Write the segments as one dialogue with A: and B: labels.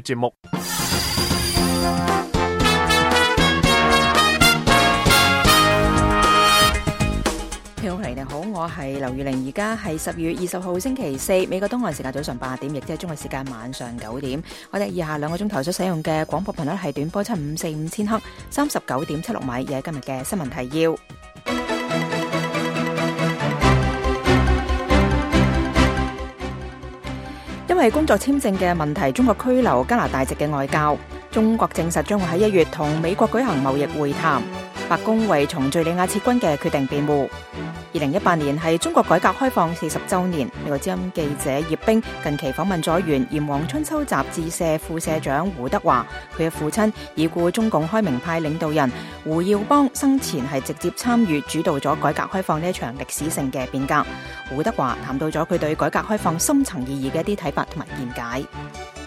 A: 節目。
B: 聽眾你好，我係劉玉玲，而家係12月20號星期四，美國東岸時間早上8點，亦即係中國時間晚上9點。我哋以下2個鐘頭所使用嘅廣播頻率係短波7545千赫，39.76米，亦係今日嘅新聞提要。因為工作簽證嘅問題，中國拘留加拿大籍嘅外交。中國證實將會喺1月同美國舉行貿易會談。白宮為從敘利亞撤軍嘅決定辯護。2018年係中國改革開放40週年。美國之音記者葉冰近期訪問咗原《炎黃春秋》雜誌社副社長胡德華，佢嘅父親已故中共開明派領導人胡耀邦生前係直接參與主導咗改革開放呢一場歷史性嘅變革。胡德華談到咗佢對改革開放深層意義嘅一啲睇法同埋見解。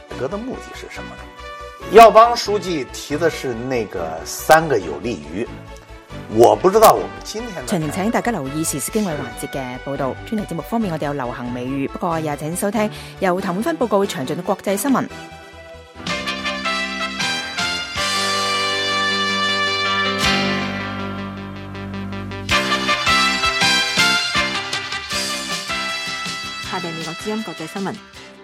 C: 改革的目的是什麼呢？耀邦書記提的是那個3個有利於。我不知道我們今天
B: 詳情請大家留意時事經緯環節嘅報道。專題節目方面，我哋有流行美語，不過也請收聽由譚永芬報告詳盡嘅國際新聞。
D: 下邊美國之音國際新聞。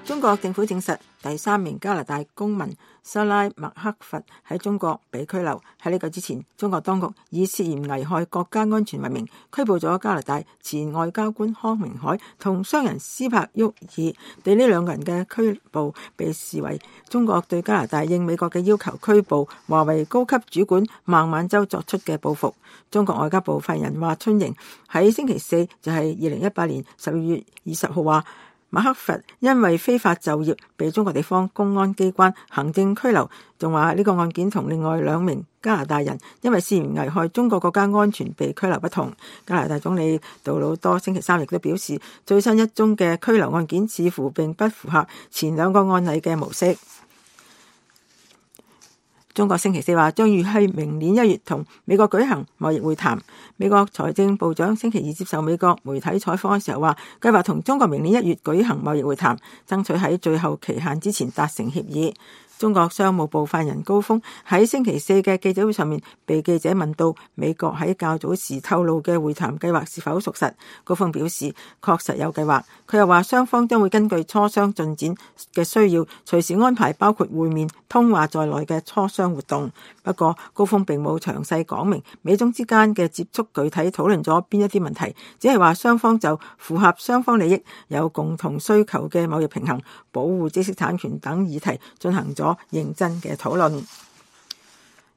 D: 中國政府證實第3名加拿大公民沙拉麥克佛喺中國被拘留。喺呢個之前，中國當局以涉嫌危害國家安全為名拘捕咗加拿大前外交官康明凱同商人斯帕沃爾。對呢2個人嘅拘捕被視為中國對加拿大應美國嘅要求拘捕華為高級主管孟晚舟作出嘅報復。中國外交部發言人華春瑩喺星期四，就係2018年12月20號話，馬克佛因為非法就業被中國地方公安機關行政拘留，仲話呢個案件同另外2名加拿大人因為涉嫌危害中國國家安全被拘留不同。加拿大總理杜魯多星期三亦都表示，最新一宗嘅拘留案件似乎並不符合前2個案例嘅模式。中國星期四話將預喺明年1月同美國舉行貿易會談。美國財政部長星期二接受美國媒體採訪嘅時候話，計劃同中國明年1月舉行貿易會談，爭取喺最後期限之前達成協議。中國商務部發言人高峰喺星期四嘅記者會上面被記者問到美國喺較早時透露嘅會談計劃是否屬實，高峰表示確實有計劃。佢又話雙方將會根據磋商進展嘅需要，隨時安排包括會面、通話在內嘅磋商活動。不過高峰並冇詳細講明美中之間嘅接觸具體討論咗邊一啲問題，只係話雙方就符合雙方利益、有共同需求嘅貿易平衡、保護知識產權等議題進行咗認真嘅討論。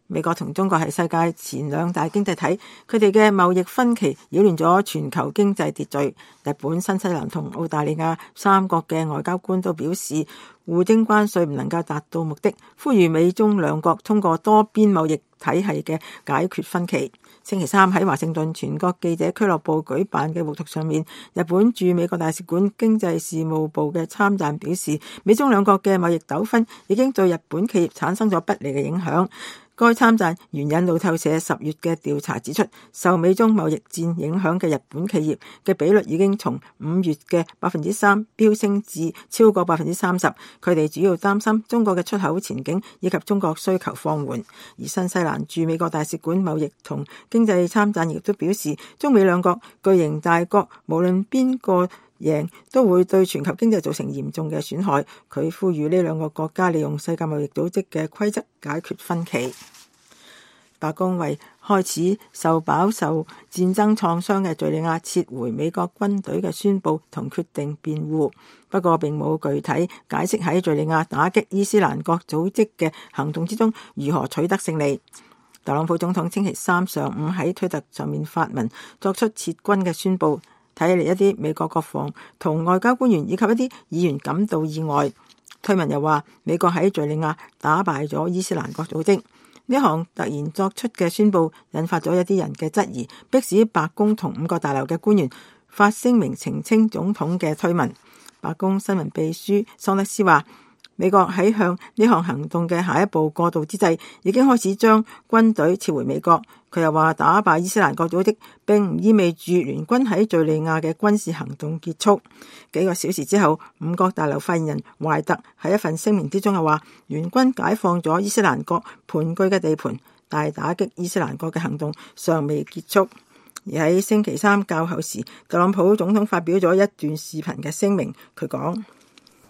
D: 美國同中國係世界前2大經濟體，佢哋嘅貿易分歧擾亂咗全球經濟秩序。日本、新西蘭同澳大利亞3國嘅外交官都表示，互徵關稅唔能夠達到目的，呼籲美中2國通過多邊貿易體系嘅解決分歧。星期三喺華盛頓全國記者俱樂部舉辦嘅活動上面，日本駐美國大使館經濟事務部嘅參贊表示，美中2國嘅貿易糾紛已經對日本企業產生咗不利嘅影響。該參贊援引路透社10月嘅調查指出，受美中貿易戰影響嘅日本企業嘅比率已經從5月嘅 3% 飆升至超過 30%。佢哋主要擔心中國嘅出口前景以及中國需求放緩。而新西蘭駐美國大使館貿易同經濟參贊亦都表示，中美2國巨型大國無論邊個贏都會對全球經濟造成嚴重嘅損害。佢呼籲呢2個國家利用世界貿易組織嘅規則解決分歧。白宮為開始飽受戰爭創傷嘅敘利亞撤回美國軍隊嘅宣佈同決定辯護，不過並冇具體解釋喺敘利亞打擊伊斯蘭國組織嘅行動之中如何取得勝利。特朗普總統星期三上午喺推特上面發文作出撤軍嘅宣佈，睇嚟一啲美國國防同外交官員以及一啲議員感到意外。推文又話美國喺敘利亞打敗咗伊斯蘭國組織。呢項突然作出嘅宣佈引發咗一啲人嘅質疑，迫使白宮同5個大樓嘅官員發聲明澄清總統嘅推文。白宮新聞秘書桑德斯話，美國喺向呢項行動嘅下一步過渡之際，已經開始將軍隊撤回美國。佢又話打敗伊斯蘭國組織並唔意味住聯軍喺敘利亞嘅軍事行動結束。幾個小時之後，五角大樓發言人懷特喺一份聲明之中又話，聯軍解放咗伊斯蘭國盤踞嘅地盤，但係打擊伊斯蘭國嘅行動尚未結束。而喺星期三較後時，特朗普總統發表咗一段視頻嘅聲明，佢講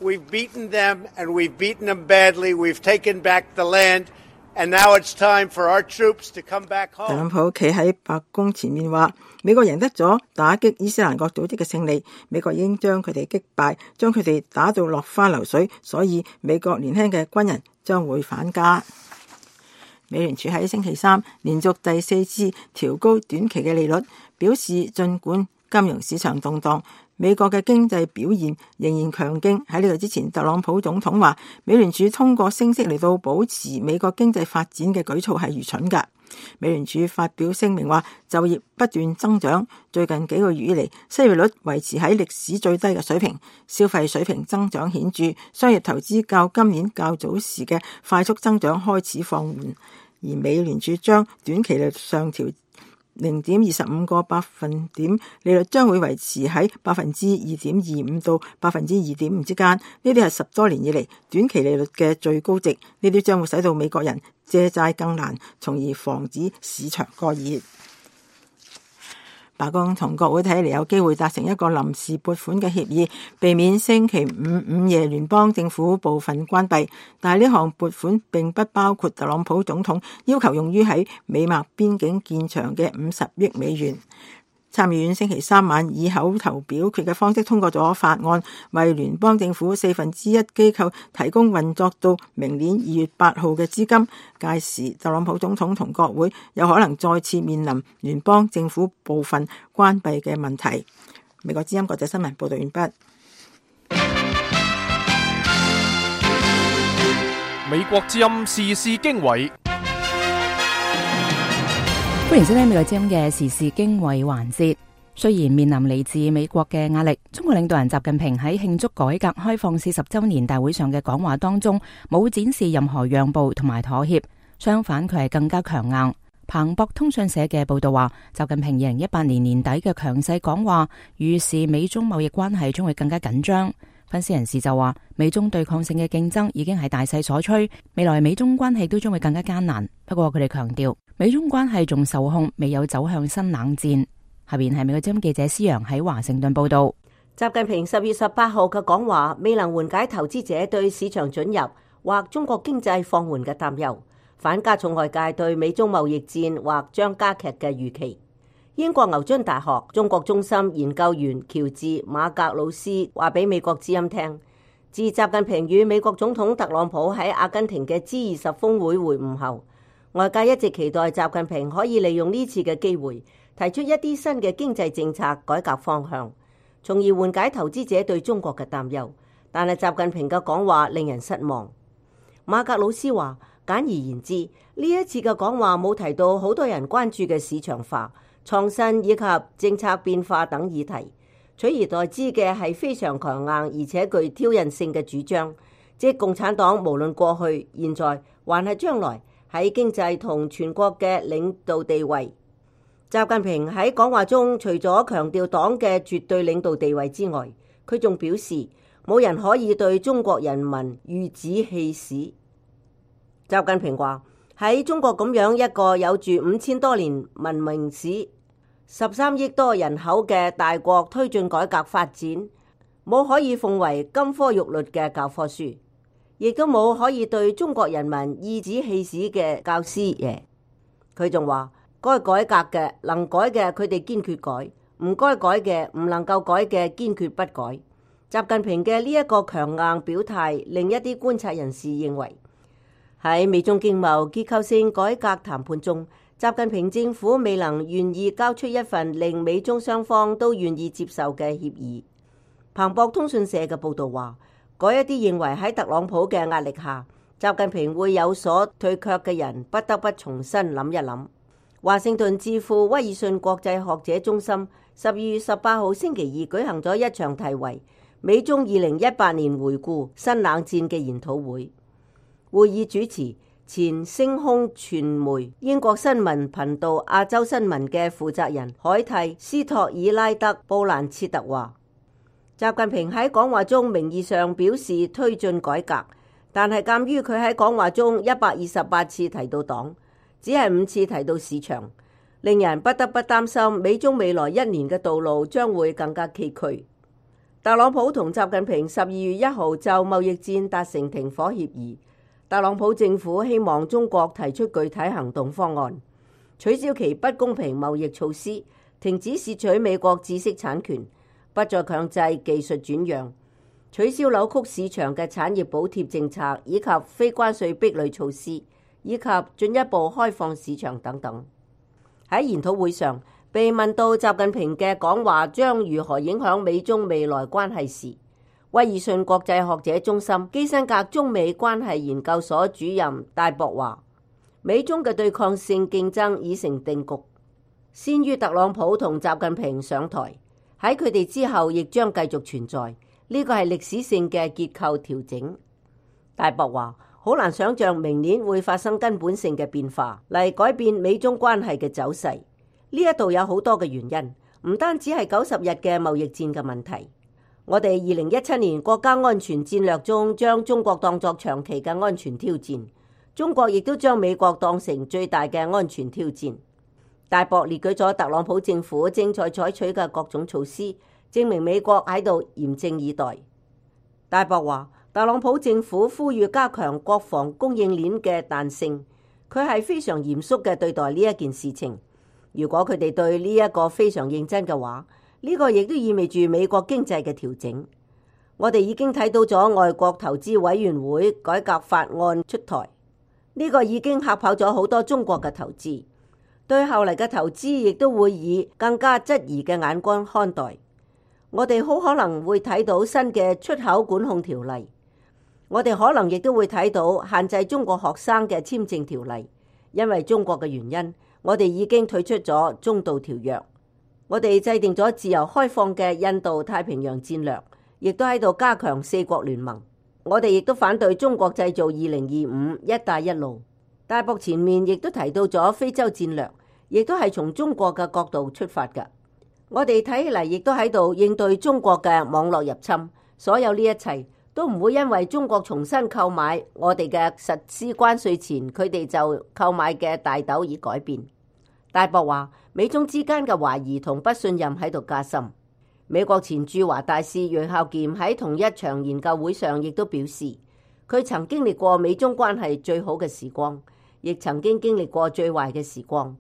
A: ：We've beaten them and we've beaten them badly. We've taken back the land and now it's time for our troops to come back home.
D: 特朗普企喺白宮前面話，美國贏得咗打擊伊斯蘭國組織嘅勝利，美國已經將佢哋擊敗，將佢哋打到落花流水，所以美國年輕嘅軍人將會返家。美聯儲喺星期三連續第4次調高短期嘅利率，表示儘管金融市場動盪，美國嘅經濟表現仍然強勁。喺呢個之前，特朗普總統話美聯儲通過升息嚟到保持美國經濟發展嘅舉措係愚蠢㗎。美聯儲發表聲明話，就業不斷增長，最近幾個月以嚟，失業率維持喺歷史最低嘅水平，消費水平增長顯著，商業投資較今年較早時嘅快速增長開始放緩。而美聯儲將短期利率上調0.25個百分點，利率將會維持喺2.25%到2.5%之間。呢啲係10多年以嚟短期利率嘅最高值。呢啲將會使到美國人借債更難，從而防止市場過熱。白宮同國會睇嚟有機會達成一個臨時撥款嘅協議，避免星期五午夜聯邦政府部分關閉。但係呢項撥款並不包括特朗普總統要求用於喺美墨邊境建牆嘅50億美元。參議院星期三晚以口頭表決嘅方式通過咗法案，為聯邦政府1/4機構提供運作到明年2月8號嘅資金。屆時，特朗普總統同國會有可能再次面臨聯邦政府部分關閉嘅問題。美國之音國際新聞報道完畢。
E: 美國之音時事經緯。
B: 歡迎收聽美國之音嘅時事經緯環節。雖然面臨嚟自美國嘅壓力，中國領導人習近平喺慶祝改革開放40週年大會上嘅講話當中，冇展示任何讓步同埋妥協，相反佢係更加強硬。彭博通訊社嘅報道話，習近平2018年年底嘅強勢講話，預示美中貿易關係將會更加緊張。分析人士就話，美中對抗性嘅競爭已經係大勢所趨，未來美中關係都將會更加艱難。不過佢哋強調，美中關係仲受控，未有走向新冷戰。下邊係美國之音記者施洋喺華盛頓報道。
F: 習近平10月18號嘅講話未能緩解投資者對市場准入或中國經濟放緩嘅擔憂，反加重外界對美中貿易戰或將加劇嘅預期。英國牛津大學中國中心研究員喬治馬格魯斯話俾美國之音聽，自習近平與美國總統特朗普喺阿根廷嘅 G20 峰會會晤後，外界一直期待習近平可以利用呢次嘅機會提出一啲新嘅經濟政策改革方向，從而緩解投資者對中國嘅擔憂。但係習近平嘅講話令人失望。馬格魯斯話，簡而言之，呢一次嘅講話冇提到好多人關注嘅市場化、創新以及政策變化等議題，取而代之嘅係非常強硬而且具挑釁性嘅主張，即共產黨無論過去、現在還係將來喺經濟同全國嘅領導地位。習近平喺講話中除咗強調黨嘅絕對領導地位之外，佢仲表示冇人可以對中國人民馭指氣使。習近平話，喺中國咁樣一個有住5000多年文明史、13億多人口嘅大國推進改革發展，冇可以奉為金科玉律嘅教科書，亦都冇可以對中國人民馭指氣使嘅教師爺。佢仲話，該改革嘅能改嘅佢哋堅決改，唔該改嘅唔能夠改嘅堅決不改。習近平嘅呢一個強硬表態，令一啲觀察人士認為，喺美中經貿結構性改革談判中，習近平政府未能願意交出一份令美中雙方都願意接受嘅協議。彭博通訊社嘅報道話，嗰一啲認為喺特朗普嘅壓力下，習近平會有所退卻嘅人，不得不重新諗一諗。華盛頓智庫威爾遜國際學者中心12月18號星期二舉行咗一場題為美中2018年回顧新冷戰嘅研討會。會議主持前星空傳媒英國新聞頻道亞洲新聞嘅負責人海蒂斯托爾拉德布蘭切特話，習近平喺講話中名義上表示推進改革，但係鑑於佢喺講話中128次提到黨，只係5次提到市場，令人不得不擔心美中未來1年嘅道路將會更加崎嶇。特朗普同習近平12月1號就貿易戰達成停火協議。特朗普政府希望中國提出具體行動方案，取消其不公平貿易措施，停止竊取美國知識產權，不再強制技術轉讓，取消扭曲市場嘅產業補貼政策，以及非關稅壁壘措施，以及進一步開放市場等等。喺研討會上，被問到習近平嘅講話將如何影響美中未來關係時，威爾遜國際學者中心基辛格中美關係研究所主任戴博話，美中嘅對抗性競爭已成定局，先於特朗普同習近平上台，喺佢哋之後亦將繼續存在，呢個係歷史性嘅結構調整。戴博話，好難想象明年會發生根本性嘅變化嚟改變美中關係嘅走勢。呢一度有好多嘅原因，唔單止係90日嘅貿易戰嘅問題。我哋2017年國家安全戰略中將中國當作長期嘅安全挑戰，中國亦都將美國當成最大嘅安全挑戰。戴博列舉咗特朗普政府正在採取嘅各種措施，證明美國喺度嚴陣以待。戴博話，特朗普政府呼籲加強國防供應鏈嘅彈性，佢係非常嚴肅嘅對待呢一件事情。如果佢哋對呢一個非常認真嘅話，呢個亦都意味住美國經濟嘅調整。我哋已經睇到咗外國投資委員會改革法案出台，呢個已經嚇跑咗好多中國嘅投資，對後嚟嘅投資亦都會以更加質疑嘅眼光看待。我哋好可能會睇到新嘅出口管控條例，我哋可能亦都會睇到限制中國學生嘅簽證條例，因為中國嘅原因。我哋已經退出咗中導條約，我哋制定咗自由開放嘅印度太平洋戰略，亦都喺度加強4國聯盟。我哋亦都反對中國製造2025、一帶一路。戴博前面亦都提到咗非洲戰略，亦都係從中國嘅角度出發㗎。我哋睇起嚟亦都喺度應對中國嘅網絡入侵。所有呢一切都唔會因為中國重新購買我哋嘅實施關稅前佢哋就購買嘅大豆而改變。戴博話，美中之間嘅懷疑同不信任喺度加深。美國前駐華大使楊孝儉喺同一場研究會上亦都表示，佢曾經歷過美中關係最好嘅時光，亦曾經經歷過最壞嘅時光。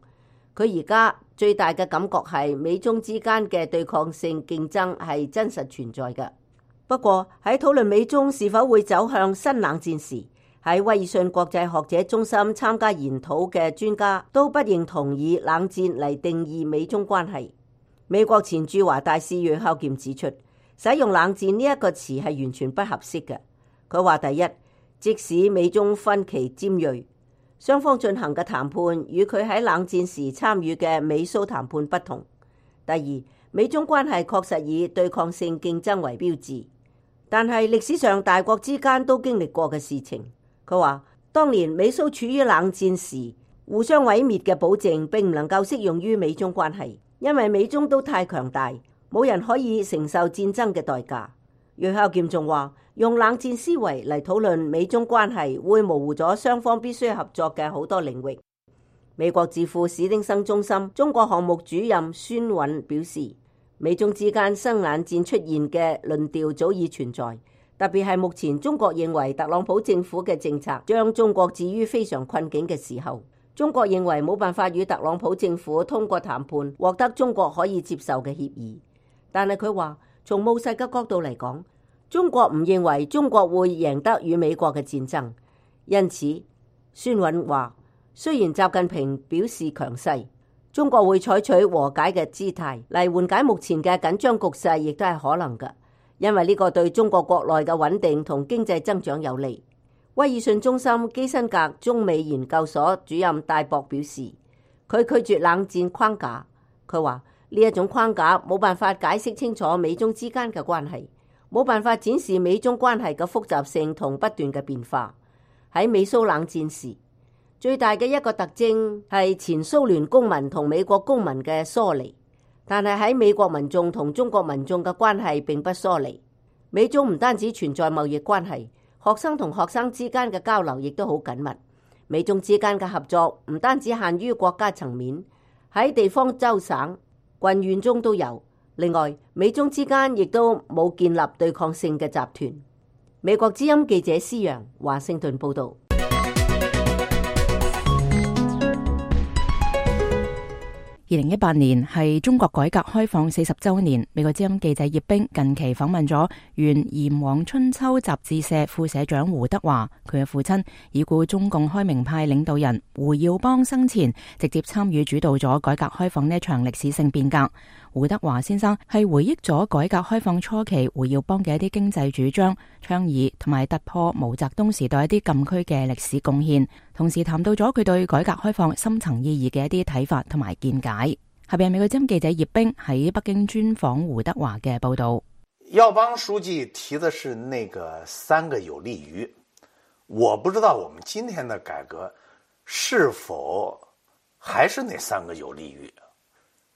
F: 佢而家最大嘅感覺係美中之間嘅對抗性競爭係真實存在嘅。不過喺討論美中是否會走向新冷戰時，喺威爾遜國際學者中心參加研討嘅專家都不認同以冷戰嚟定義美中關係。美國前駐華大使楊孝儉指出，使用冷戰呢一個詞係完全不合適嘅。佢話，第一，即使美中分歧尖銳，雙方進行嘅談判與佢喺冷戰時參與嘅美蘇談判不同。第二，美中關係確實以對抗性競爭為標誌，但係歷史上大國之間都經歷過嘅事情。佢話，當年美蘇處於冷戰時，互相毀滅嘅保證並唔能夠適用於美中關係。因為美中都太強大，冇人可以承受戰爭嘅代價。楊孝儉仲話，用冷戰思維嚟討論美中關係，會模糊咗雙方必須合作嘅好多領域。美國智庫史丁生中心中國項目主任孫韻表示，美中之間新冷戰出現嘅論調早已存在，特別係目前中國認為特朗普政府嘅政策將中國置於非常困境嘅時候。中國認為冇辦法與特朗普政府通過談判獲得中國可以接受嘅協議，但係佢話從務實嘅角度嚟講，中國唔認為中國會贏得與美國嘅戰爭。因此，孫韻話，雖然習近平表示強勢，中國會採取和解嘅姿態嚟緩解目前嘅緊張局勢，亦都係可能嘅，因為呢個對中國國內嘅穩定同經濟增長有利。威爾遜中心基辛格中美研究所主任戴博表示，佢拒絕冷戰框架。佢話呢一種框架冇辦法解釋清楚美中之間嘅關係，冇辦法展示美中關係嘅複雜性同不斷嘅變化。喺美蘇冷戰時，最大嘅一個特徵係前蘇聯公民同美國公民嘅疏離，但係喺美國民眾同中國民眾嘅關係並不疏離。美中唔單止存在貿易關係，學生同學生之間嘅交流亦都好緊密。美中之間嘅合作唔單止限於國家層面，喺地方州省、郡縣中都有。另外，美中之間亦都冇建立對抗性嘅集團。美國之音記者施洋華盛頓報道。
B: 2018年係中國改革開放40週年。美國之音記者葉冰近期訪問咗原《炎黃春秋》雜誌社副社長胡德華，佢嘅父親已故中共開明派領導人胡耀邦生前直接參與主導咗改革開放呢一場歷史性變革。胡德華先生係回憶咗改革開放初期胡耀邦嘅一啲經濟主張、倡議同埋突破毛澤東時代一啲禁區嘅歷史貢獻，同時談到咗佢對改革開放深層意義嘅一啲睇法同埋見解。下邊係美國之音記者葉冰喺北京專訪胡德華嘅報道。
C: 耀邦書記提的是那個三個有利於，我不知道我們今天的改革是否還是那三個有利於。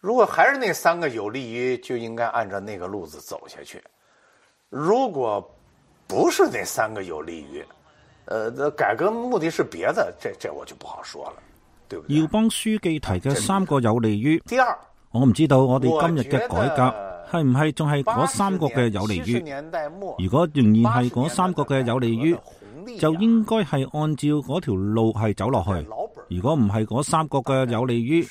C: 如果還是那三個有利於，就應該按照那個路子走下去。如果不是那三個有利於，改革目的是別的，這我就不好說了，對不對？
G: 耀邦書記提嘅三個有利於，
C: 第二，
G: 我唔知道我哋今日嘅改革係唔係仲係嗰三個嘅有利於。如果仍然係嗰三個嘅有利於，就應該係按照嗰條路係走落去。如果唔係嗰三個嘅有利於，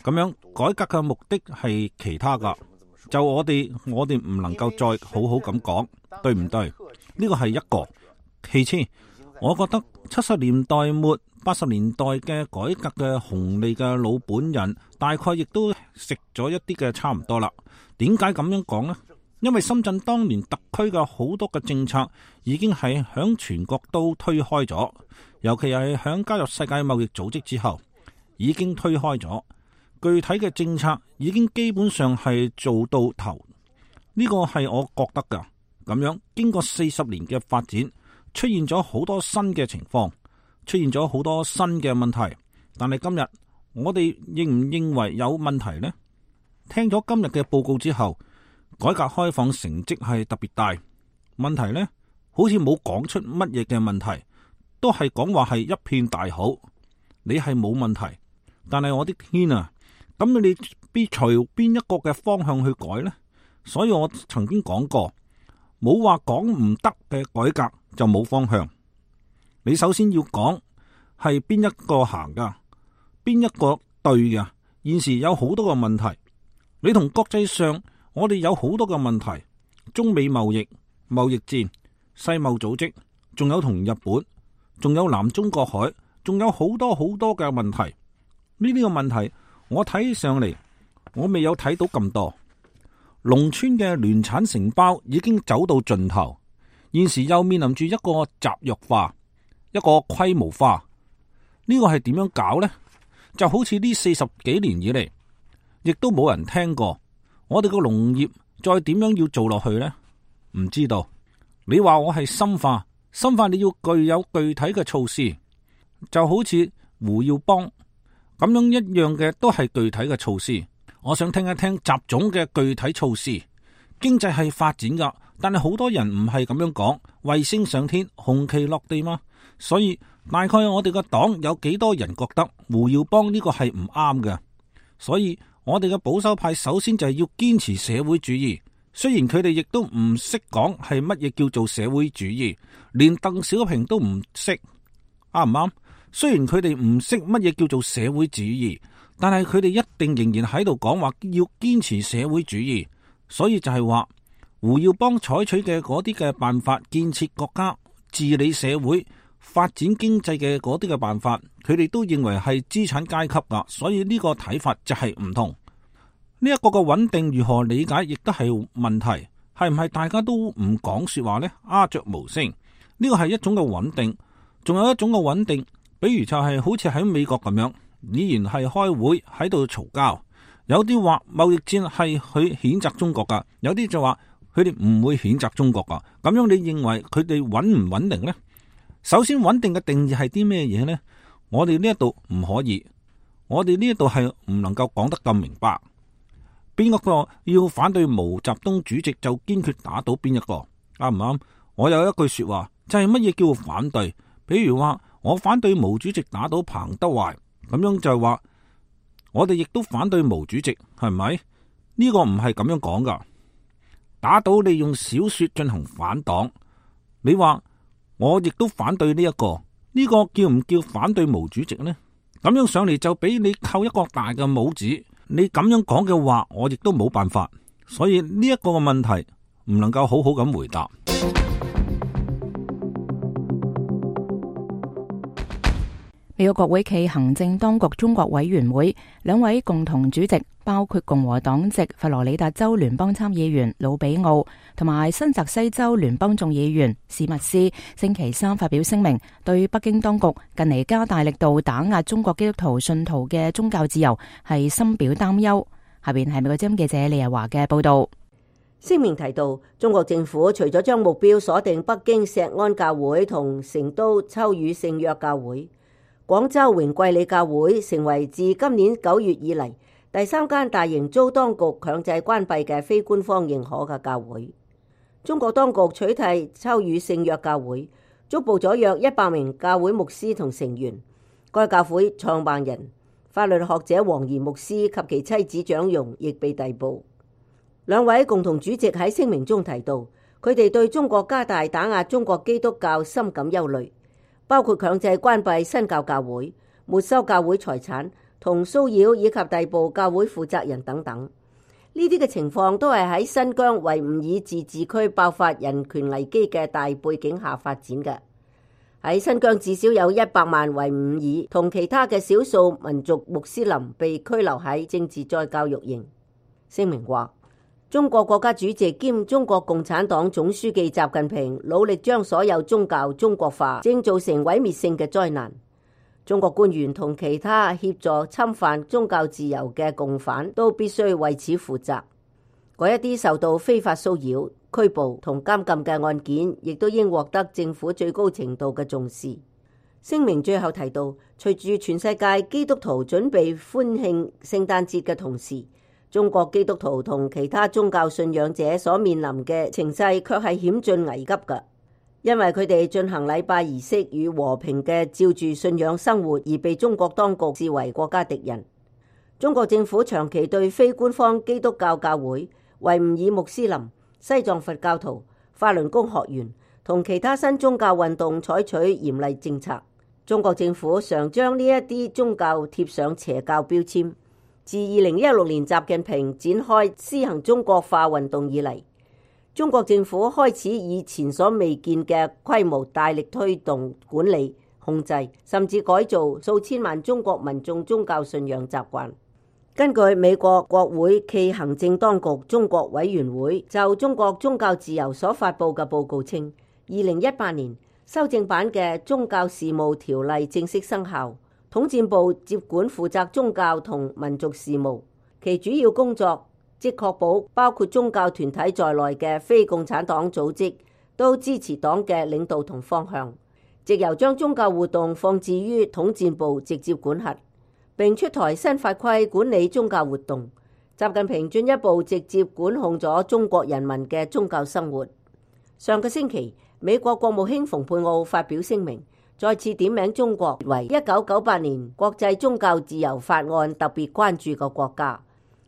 G: 咁樣改革嘅目的係其他噶，就我哋唔能夠再好好咁講，對唔對？呢個係一個。其次，我覺得70年代末80年代嘅改革嘅紅利嘅老本人，大概亦都食咗一啲嘅差唔多啦。點解咁樣講呢？因為深圳當年特區嘅好多嘅政策已經係響全國都推開咗，尤其係響加入世界貿易組織之後，已經推開咗。具體嘅政策已經基本上係做到頭，呢個係我覺得噶。咁樣經過40年嘅發展，出現咗好多新嘅情況，出現咗好多新嘅問題。但係今日我哋認唔認為有問題呢？聽咗今日嘅報告之後，改革開放成績係特別大，問題呢好似冇講出乜嘢嘅問題，都係講話係一片大好，你係冇問題。但係我的天啊！咁你必隨邊一個嘅方向去改呢？所以我曾經講過，冇話講唔得嘅改革就冇方向。你首先要講係邊一個行噶，邊一個對噶。現時有好多個問題，你同國際上我哋有好多個問題，中美貿易戰、世貿組織，仲有同日本，仲有南中國海，仲有好多好多嘅問題。呢啲個問題我睇上嚟，我未有睇到咁多。農村嘅聯產承包已經走到盡頭，現時又面臨住一個集約化、一個規模化。呢個係點樣搞呢？就好似呢40幾年以嚟，亦都冇人聽過。我哋個農業再點樣要做落去呢？唔知道。你話我係深化，你要具有具體嘅措施，就好似胡耀邦咁樣一樣嘅，都係具體嘅措施。我想聽一聽習總嘅具體措施。經濟係發展噶，但係好多人唔係咁樣講，衛星上天，紅旗落地嘛。所以大概我哋個黨有幾多人覺得胡耀邦呢個係唔啱嘅。所以我哋嘅保守派首先就係要堅持社會主義。雖然佢哋亦都唔識講係乜嘢叫做社會主義，連鄧小平都唔識，啱唔啱？雖然佢哋唔識乜嘢叫做社會主義，但係佢哋一定仍然喺度講話要堅持社會主義。所以就係話胡耀邦採取嘅嗰啲嘅辦法，建設國家、治理社會、發展經濟嘅嗰啲嘅辦法，佢哋都認為係資產階級噶。所以呢個睇法就係唔同。呢一個嘅穩定如何理解，亦都係問題。係唔係大家都唔講說話呢？鴉雀無聲，呢個係一種嘅穩定。仲有一種嘅穩定，比如就係好似喺美國咁樣，依然係開會喺度嘈交。有啲話貿易戰係去譴責中國噶，有啲就話佢哋唔會譴責中國噶。咁樣你認為佢哋穩唔穩定呢？首先，穩定嘅定義係啲咩嘢呢？我哋呢一度唔可以，我哋呢一度係唔能夠講得咁明白。邊一個要反對毛澤東主席就堅決打倒邊一個，啱唔啱？我有一句說話，就係乜嘢叫反對？比如話我反對毛主席打倒彭德懷，咁樣就係話我哋亦都反對毛主席，係咪？呢個唔係咁樣講噶。打倒你用小說進行反黨，你話我亦都反對呢一個，呢個叫唔叫反對毛主席呢？咁樣上嚟就俾你扣一個大嘅帽子，你咁樣講嘅話，我亦都冇辦法。所以呢一個嘅問題唔能夠好好咁回答。
B: 美國國會暨行政當局中國委員會兩位共同主席，包括共和黨籍佛羅里達州聯邦參議員魯比奧同埋新澤西州聯邦眾議員史密斯，星期三發表聲明，對北京當局近嚟加大力度打壓中國基督徒信徒嘅宗教自由係深表擔憂。下邊係美國之音記者李日華嘅報道。
F: 聲明提到，中國政府除咗將目標鎖定北京石安教會同成都秋雨聖約教會，廣州榮貴里教會成為自今年9月以嚟第3間大型遭當局強制關閉嘅非官方認可嘅教會。中國當局取締秋雨聖約教會，捉捕咗約100名教會牧師同成員。該教會創辦人法律學者黃賢牧師及其妻子蔣容亦被逮捕。兩位共同主席喺聲明中提到，佢哋對中國加大打壓中國基督教深感憂慮，包括強制關閉新教教會、沒收教會財產同騷擾以及逮捕教會負責人等等。呢啲嘅情況都係喺新疆維吾爾自治區爆發人權危機嘅大背景下發展嘅。喺新疆至少有100萬維吾爾同其他嘅少數民族穆斯林被拘留喺政治再教育營。聲明話，中國國家主席兼中國共產黨總書記習近平努力將所有宗教中國化，正造成毀滅性嘅災難。中國官員同其他協助侵犯宗教自由嘅共犯都必須為此負責。嗰一啲受到非法騷擾、拘捕同監禁嘅案件，亦都應獲得政府最高程度嘅重視。聲明最後提到，隨住全世界基督徒準備歡慶聖誕節嘅同時，中國基督徒同其他宗教信仰者所面臨嘅情勢卻係險峻危急嘅，因為佢哋進行禮拜儀式與和平嘅照住信仰生活，而被中國當局視為國家敵人。中國政府長期對非官方基督教教會、維吾爾穆斯林、西藏佛教徒、法輪功學員同其他新宗教運動採取嚴厲政策。中國政府常將呢一啲宗教貼上邪教標籤。自2016年習近平展開施行中國化運動以嚟，中國政府開始以前所未見嘅規模大力推動管理、控制，甚至改造數千萬中國民眾宗教信仰習慣。根據美國國會暨行政當局中國委員會就中國宗教自由所發佈嘅報告稱，2018年修正版嘅宗教事務條例正式生效。統戰部接管負責宗教同民族事務，其主要工作即確保包括宗教團體在內嘅非共產黨組織都支持黨嘅領導同方向，藉由將宗教活動放置於統戰部直接管轄，並出台新法規管理宗教活動。習近平進一步直接管控咗中國人民嘅宗教生活。上個星期，美國國務卿蓬佩奧發表聲明，再次點名中國為1998年國際宗教自由法案特別關注嘅國家，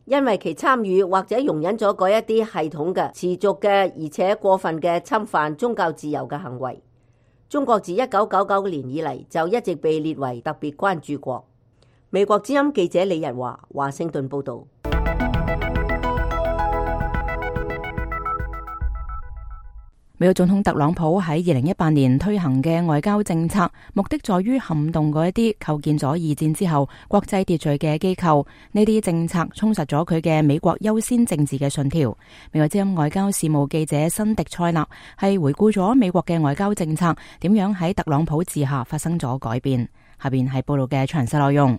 F: 因為其參與或者容忍咗嗰一啲系統嘅、持續嘅而且過分嘅侵犯宗教自由嘅行為。中國自1999年以嚟就一直被列為特別關注國。美國之音記者李日華，華盛頓報道。
B: 美國總統特朗普喺2018年推行嘅外交政策，目的在於撼動嗰一啲構建咗二戰之後國際秩序嘅機構。呢啲政策充實咗佢嘅美國優先政治嘅信條。美國之音外交事務記者辛迪塞納係回顧咗美國嘅外交政策點樣喺特朗普治下發生咗改變。下邊係報道嘅詳細內容。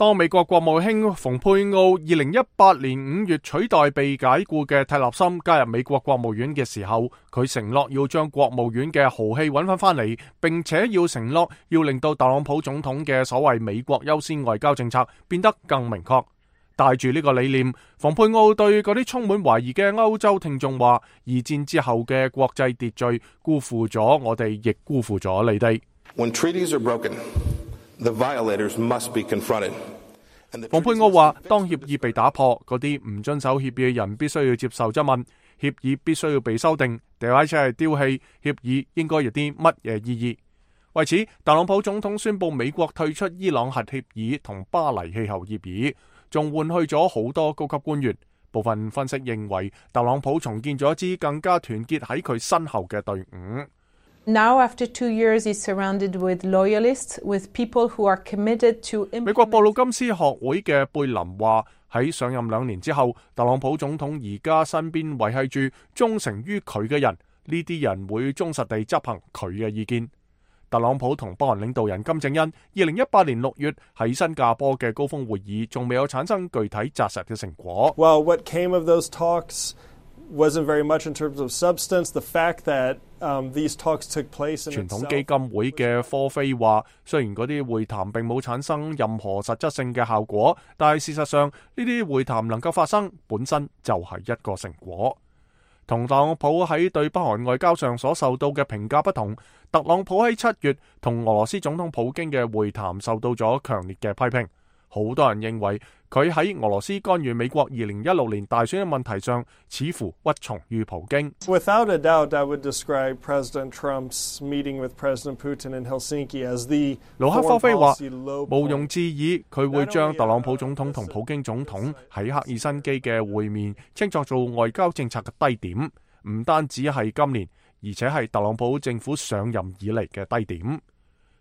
E: 當美國國務卿蓬佩奧2018年5月取代被解僱嘅蒂勒森加入美國國務院嘅時候，佢承諾要將國務院嘅豪氣揾返嚟，並且要承諾要令到特朗普總統嘅所謂美國優先外交政策變得更明確。帶住呢個理念，蓬佩奧對嗰啲充滿懷疑嘅歐洲聽眾話：二戰之後嘅國際秩序辜負咗我哋，亦辜負咗你哋。
H: When treaties are broken, the violators must be confronted.
E: 蓬佩奧話：當協議被打破，嗰啲唔遵守協議嘅人必須要接受質問，協議必須要被修訂，掉或者係丟棄，協議應該有啲乜嘢意義？為此，特朗普總統宣布美國退出伊朗核協議同巴黎氣候協議，仲換去咗好多高級官員。部分分析認為，特朗普重建咗一支更加團結喺佢身後嘅隊伍。
I: Now, after 2 years, he's surrounded with loyalists, with people who are committed to implement.
E: 美國布魯金斯學會嘅貝林話：喺上任2年之後，特朗普總統而家身邊維繫住忠誠於佢嘅人，呢啲人會忠實地執行佢嘅意見。特朗普同北韓領導人金正恩2018年6月喺新加坡嘅高峰會議，仲未有產生具體紮實嘅成果。
J: Well, what came of those talks wasn't very much in terms of substance. The fact that these talks took place in
E: 傳統基金會嘅科菲話，雖然嗰啲會談並冇產生任何實質性嘅效果，但係事實上呢啲會談能夠發生，本身就係一個成果。同特朗普喺對北韓外交上所受到嘅評價不同，特朗普喺7月同俄羅斯總統普京嘅會談受到咗強烈嘅批評。好多人認為佢喺俄羅斯干預美國2016年大選嘅問題上，似乎屈從於普京。
J: Without a doubt, I would describe President Trump's meeting with President Putin in Helsinki as the
E: 盧克科菲話：
J: 無
E: 庸置疑，佢會將特朗普總統同普京總統喺赫爾辛基嘅會面稱作做外交政策嘅低點，唔單止係今年，而且係特朗普政府上任以嚟嘅低點。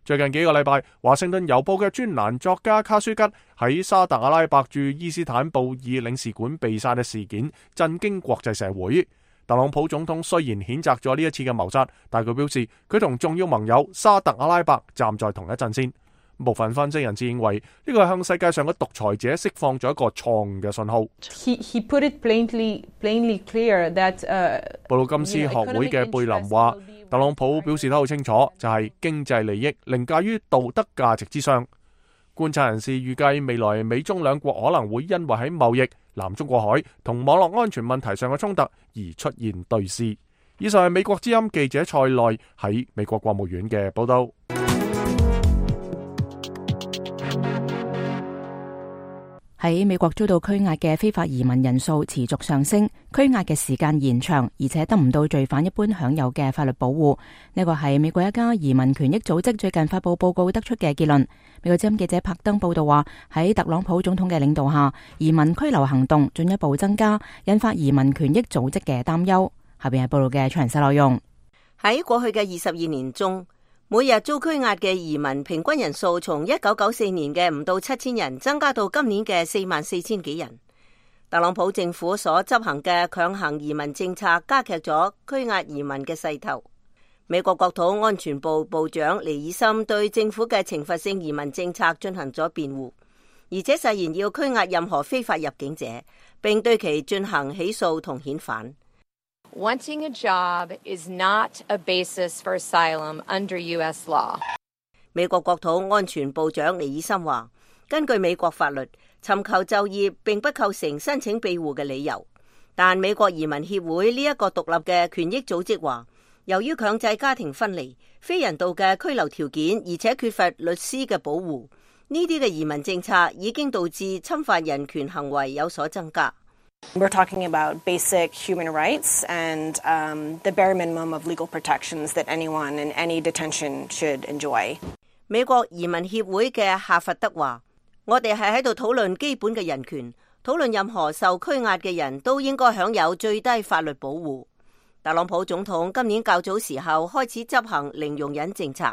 E: 最近幾個禮拜，華盛頓郵報嘅專欄作家卡舒吉喺沙特阿拉伯駐伊斯坦布爾領事館被殺嘅事件震驚國際社會。特朗普總統雖然譴責咗呢一次嘅謀殺，但佢表示佢同重要盟友沙特阿拉伯站在同一陣線。部分分析人士認為呢個係向世界上嘅獨裁者釋放咗一個錯誤嘅信號。
I: He put it plainly clear that
E: 布魯金斯學會嘅貝林話，特朗普表示得好清楚，就係經濟利益凌駕於道德價值之上。觀察人士預計未來美中兩國可能會因為喺貿易、南中國海同網絡安全問題上嘅衝突而出現對峙。以上係美國之音記者蔡內喺美國國務院嘅報道。
B: 喺美國遭到拘押嘅非法移民人數持續上升，拘押嘅時間延長，而且得唔到罪犯一般享有嘅法律保護。呢個係美國一家移民權益組織最近發佈報告得出嘅結論。美國之音記者柏登報道話，喺特朗普總統嘅領導下，移民拘留行動進一步增加，引發移民權益組織嘅擔憂。下邊係報道嘅詳細內容。
F: 喺過去嘅22年中，每日遭拘押嘅移民平均人數從1994年嘅唔到7000人增加到今年嘅44000幾人。特朗普政府所執行嘅強行移民政策加劇咗拘押移民嘅勢頭。美國國土安全部部長尼爾森對政府嘅懲罰性移民政策進行咗辯護，而且誓言要拘押任何非法入境者，並對其進行起訴同遣返。
K: Wanting a job is not a basis for asylum under U.S. law.
F: 美國國土安全部長尼爾森話，根據美國法律，尋求就業並不構成申請庇護嘅理由。但美國移民協會呢一個獨立嘅權益組織話，由於強制家庭分離、非人道嘅居留條件，而且缺乏律師嘅保護，呢啲嘅移民政策已經導致侵犯人權行為有所增加。
L: We're talking about basic human rights and the bare minimum of legal protections that anyone in any detention should enjoy.
F: 美國移民協會嘅夏佛德話，我哋係喺度討論基本嘅人權，討論任何受拘押嘅人都應該享有最低法律保護。特朗普總統今年較早時候開始執行零容忍政策，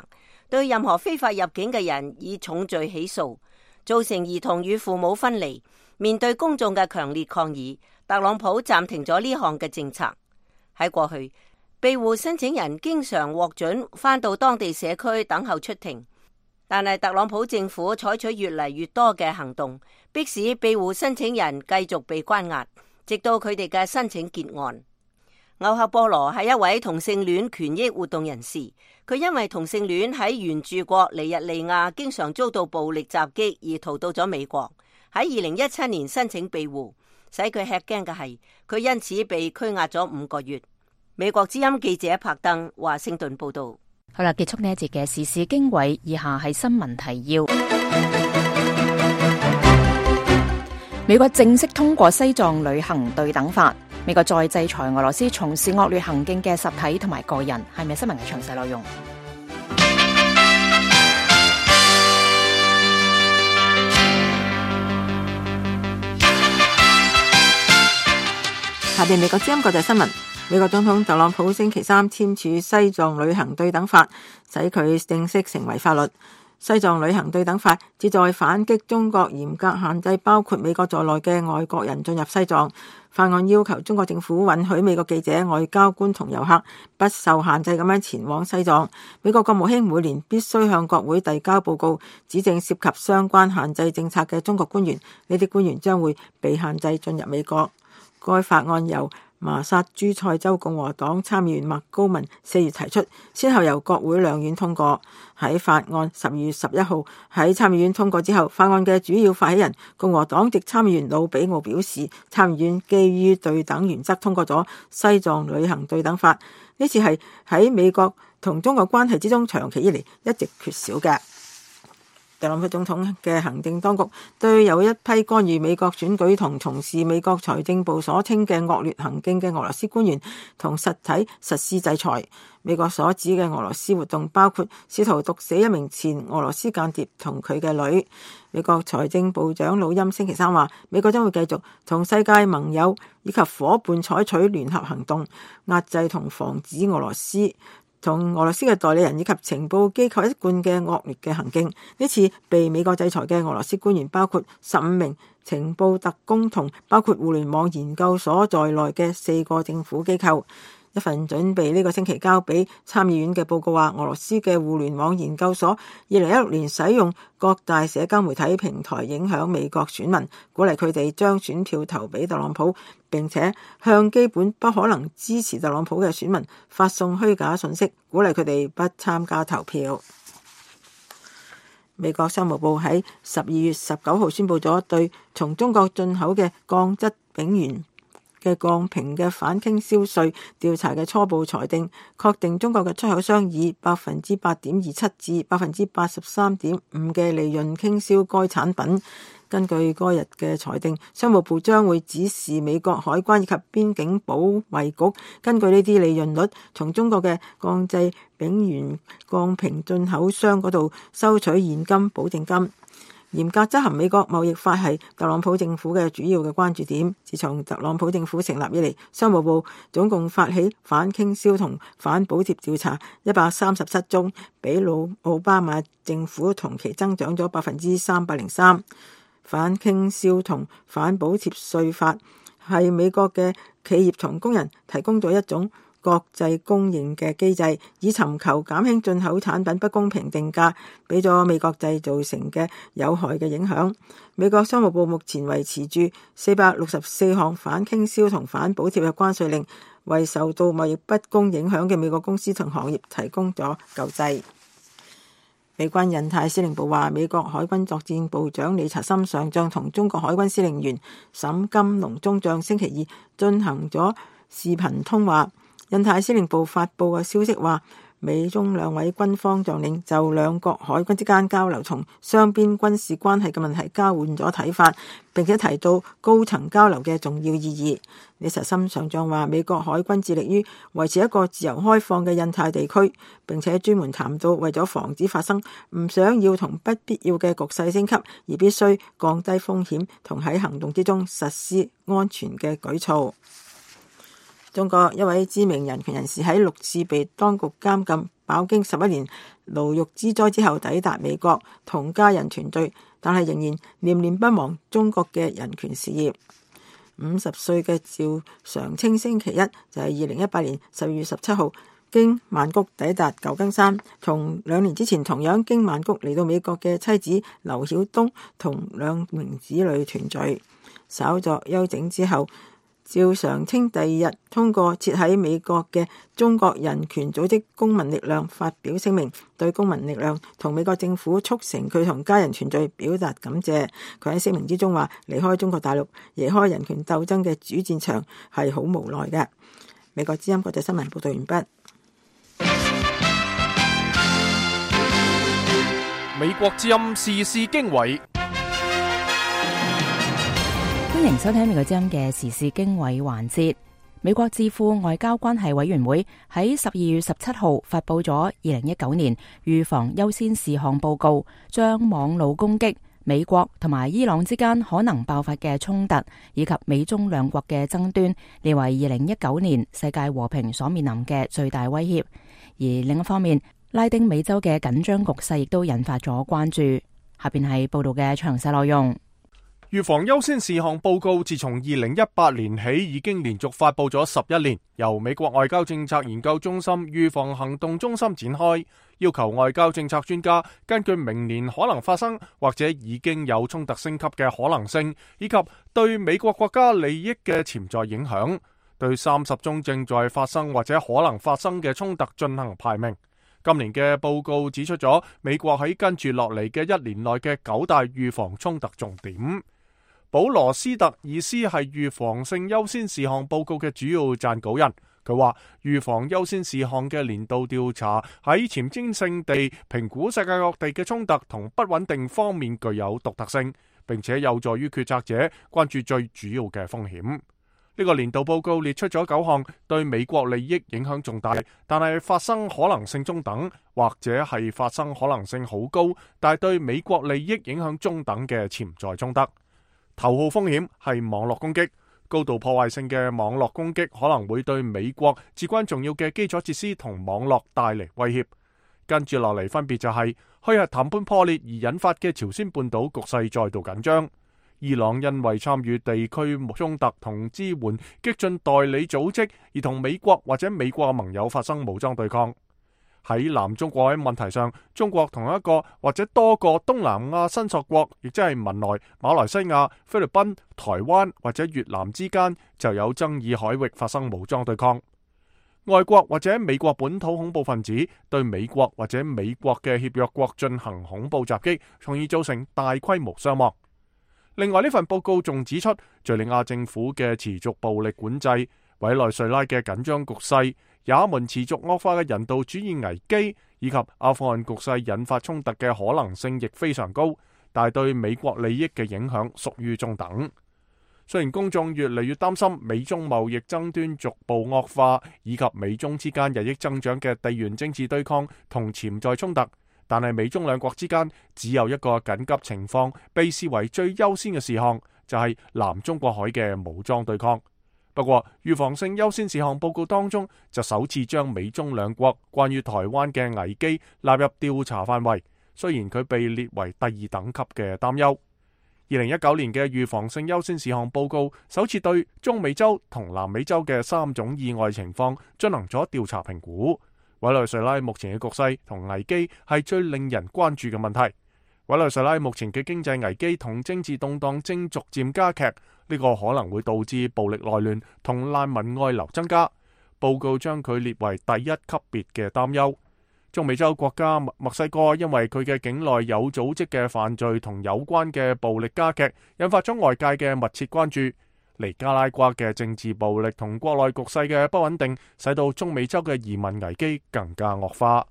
F: 對任何非法入境嘅人以重罪起訴，造成兒童與父母分離。面對公眾嘅強烈抗議，特朗普暫停咗呢項嘅政策。喺過去，庇護申請人經常獲准返到當地社區等候出庭，但係特朗普政府採取越嚟越多嘅行動，迫使庇護申請人繼續被關押，直到佢哋嘅申請結案。歐克波羅係一位同性戀權益活動人士，佢因為同性戀喺原住國尼日利亞經常遭到暴力襲擊而逃到咗美國，喺2017年申請庇護，使佢吃驚嘅係佢因此被拘押咗5個月。美國之音記者柏登華盛頓報道。
B: 好啦，結束呢一節嘅時事經緯，以下係新聞提要。美國正式通過西藏旅行對等法，美國再制裁俄羅斯從事惡劣行徑嘅實體同埋個人。係咪新聞嘅詳細內容？
D: 下邊美國之音國際新聞。美國總統特朗普星期三簽署西藏旅行對等法，使佢正式成為法律。西藏旅行對等法旨在反擊中國嚴格限制包括美國在內嘅外國人進入西藏。法案要求中國政府允許美國記者、外交官同遊客不受限制咁樣前往西藏。美國國務卿每年必須向國會遞交報告，指證涉及相關限制政策嘅中國官員，呢啲官員將會被限制進入美國。該法案由麻薩諸塞州共和黨參議員麥高文4月提出，先後由國會兩院通過。喺法案12月11號喺參議院通過之後，法案嘅主要發起人共和黨籍參議員魯比奧表示，參議院基於對等原則通過咗西藏旅行對等法。呢次係喺美國同中國關係之中長期以嚟一直缺少嘅。特朗普總統嘅行政當局對有一批干預美國選舉同從事美國財政部所稱嘅惡劣行徑嘅俄羅斯官員同實體實施制裁。美國所指嘅俄羅斯活動包括試圖毒死一名前俄羅斯間諜同佢嘅女。美國財政部長魯欽星期三話，美國將會繼續同世界盟友以及夥伴採取聯合行動，壓制同防止俄羅斯同俄羅斯嘅代理人以及情報機構一貫嘅惡劣嘅行徑。呢次被美國制裁嘅俄羅斯官員包括15名情報特工同包括互聯網研究所在內嘅4個政府機構。一份準備呢個星期交俾參議院嘅報告話，俄羅斯嘅互聯網研究所2016年使用各大社交媒體平台影響美國選民，鼓勵佢哋將選票投俾特朗普，並且向基本不可能支持特朗普嘅選民發送虛假信息，鼓勵佢哋不參加投票。美國商務部喺12月19號宣布咗對從中國進口嘅鋼質丙烷嘅鋼瓶嘅反傾銷稅調查嘅初步裁定，確定中國嘅出口商以 8.27% 至 83.5% 嘅利潤傾銷該產品。根據該日嘅裁定，商務部將會指示美國海關以及邊境保衛局根據呢啲利潤率，從中國嘅鋼製丙烷鋼瓶進口商嗰度收取現金保證金。嚴格執行美國貿易法係特朗普政府嘅主要嘅關注點。自從特朗普政府成立以嚟，商務部總共發起反傾銷同反補貼調查137宗，比奧巴馬政府同期增長咗303%。反傾銷同反補貼稅法係美國嘅企業同工人提供咗一種國際公認嘅機制，以尋求減輕進口產品不公平定價俾咗美國製造成嘅有害嘅影響。美國商務部目前維持住464項反傾銷同反補貼嘅關稅令，為受到貿易不公影響嘅美國公司同行業提供咗救濟。美軍印太司令部話，美國海軍作戰部長理查森上將同中國海軍司令員沈金龍中將星期二進行咗視頻通話。印太司令部發布嘅消息話，美中兩位軍方將領就兩國海軍之間交流同雙邊軍事關係嘅問題交換咗睇法，並且提到高層交流嘅重要意義。理查森上將話，美國海軍致力於維持一個自由開放嘅印太地區，並且專門談到為咗防止發生唔想要同不必要嘅局勢升級，而必須降低風險同喺行動之中實施安全嘅舉措。中國一位知名人權人士喺6次被當局監禁，飽經11年牢獄之災之後抵達美國，同家人團聚，但係仍然念念不忘中國嘅人權事業。50歲嘅趙常青星期一就係2018年12月17號經曼谷抵達舊金山，同2年之前同樣經曼谷嚟到美國嘅妻子劉曉東同2名子女團聚。稍作休整之後，趙常清第2日通過設喺美國嘅中國人權組織公民力量發表聲明，對公民力量同美國政府促成佢同家人團聚表達感謝。佢喺聲明之中話，離開中國大陸，離開人權鬥爭嘅主戰場係好無奈嘅。美國之音國際新聞報道完畢。
E: 美國之音時事經緯，
B: 歡迎收聽美國之音嘅時事經緯環節。美國智庫外交關係委員會喺12月17號發佈咗2019年預防優先事項報告，將網路攻擊、美國同埋伊朗之間可能爆發嘅衝突，以及美中兩國嘅爭端，列為2019年世界和平所面臨嘅最大威脅。而另一方面，拉丁美洲嘅緊張局勢亦都引發咗關注。下邊係報道嘅詳細內容。
E: 預防優先事項報告自從2018年起已經連續發佈咗11年，由美國外交政策研究中心預防行動中心展開，要求外交政策專家根據明年可能發生或者已經有衝突升級嘅可能性，以及對美國國家利益嘅潛在影響，對30宗正在發生或者可能發生嘅衝突進行排名。今年嘅報告指出咗美國喺跟住落嚟嘅1年內嘅9大預防衝突重點。保羅斯特爾斯係預防性優先事項報告嘅主要撰稿人，佢話預防優先事項嘅年度調查喺前瞻性地評估世界各地嘅衝突同不穩定方面具有獨特性，並且有助於決策者關注最主要嘅風險。呢個年度報告列出咗9項對美國利益影響重大，但係發生可能性中等，或者係發生可能性好高，但係對美國利益影響中等嘅潛在衝突。頭號風險係網絡攻擊，高度破壞性嘅網絡攻擊可能會對美國至關重要嘅基礎設施同網絡帶嚟威脅。跟住落嚟分別就係虛核談判破裂而引發嘅朝鮮半島局勢再度緊張，伊朗因為參與地區衝突同支援激進代理組織而同美國或者美國盟友發生武裝對抗。喺南中國海問題上，中國同一個或者多個東南亞申索國，亦即係文萊、馬來西亞、菲律賓、台灣或者越南之間就有爭議海域發生武裝對抗。外國或者美國本土恐怖分子對美國或者美國嘅協約國進行恐怖襲擊，從而造成大規模傷亡。另外，呢份報告仲指出，敘利亞政府嘅持續暴力管制、委內瑞拉嘅緊張局勢、也門持續惡化嘅人道主義危機，以及阿富汗局勢引發衝突嘅可能性亦非常高，但係對美國利益嘅影響屬於中等。雖然公眾越嚟越擔心美中貿易爭端逐步惡化，以及美中之間日益增長嘅地緣政治對抗同潛在衝突，但係美中兩國之間只有一個緊急情況被視為最優先嘅事項，就係南中國海嘅武裝對抗。不過，預防性優先事項報告當中就首次將美中兩國關於台灣嘅危機納入調查範圍，雖然佢被列為第2等級嘅擔憂。2019年嘅預防性優先事項報告首次對中美洲同南美洲嘅3種意外情況進行咗調查評估。委內瑞拉目前嘅局勢同危機係最令人關注嘅問題。委內瑞拉目前嘅經濟危機同政治動盪正逐漸加劇，呢個可能會導致暴力內亂同難民外流增加。報告將佢列為第1級別嘅擔憂。中美洲國家墨西哥因為佢嘅境內有組織嘅犯罪同有關嘅暴力加劇，引發咗外界嘅密切關注。尼加拉瓜嘅政治暴力同國內局勢嘅不穩定，使到中美洲嘅移民危機更加惡化。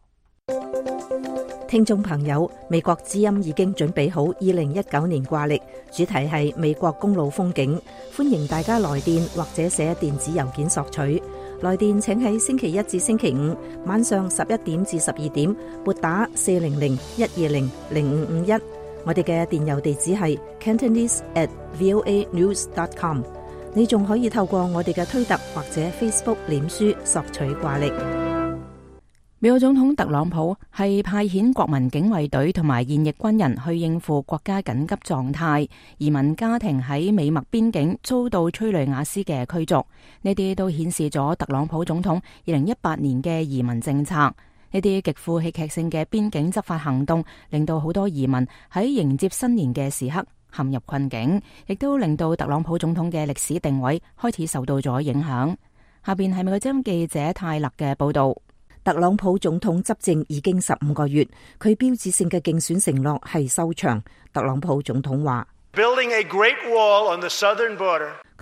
F: 聽眾朋友，美國之音已經準備好2019年掛曆，主題係美國公路風景，歡迎大家來電或者寫電子郵件索取。來電請喺星期一至星期五晚上11點至12點撥打400-120-0551。我哋嘅電郵地址係 cantonese@voanews.com。你仲可以透過我哋嘅推特或者 Facebook 臉書索取掛曆。
B: 美國總統特朗普係派遣國民警衛隊同埋現役軍人去應付國家緊急狀態，移民家庭喺美墨邊境遭到催淚瓦斯嘅驅逐，呢啲都顯示咗特朗普總統2018年嘅移民政策。呢啲極富戲劇性嘅邊境執法行動，令到好多移民喺迎接新年嘅時刻陷入困境，亦都令到特朗普總統嘅歷史定位開始受到咗影響。下邊係美國之音記者泰勒嘅報道。
M: 特朗普總統執政已經15個月，佢標誌性嘅競選承諾係修牆。特朗普總統話：佢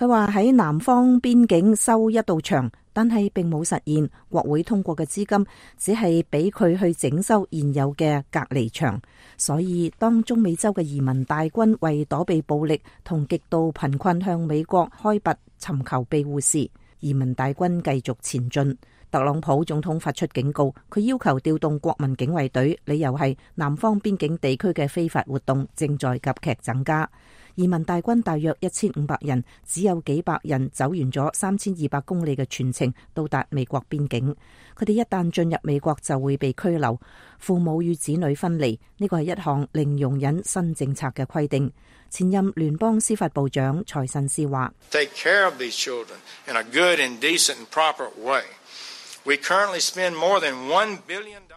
M: 話喺南方邊境修一道牆，但係並冇實現。國會通過嘅資金只係俾佢去整修現有嘅隔離牆。所以當中美洲嘅移民大軍為躲避暴力同極度貧困向美國開拔尋求庇護時，移民大軍繼續前進。特朗普總統發出警告，佢要求調動國民警衛隊，理由係南方邊境地區嘅非法活動正在急劇增加。移民大軍大約1500人，只有幾百人走完咗3200公里嘅全程到達美國邊境。佢哋一旦進入美國就會被拘留，父母與子女分離。呢個係一項零容忍新政策嘅規定。前任聯邦司法部長財信斯話：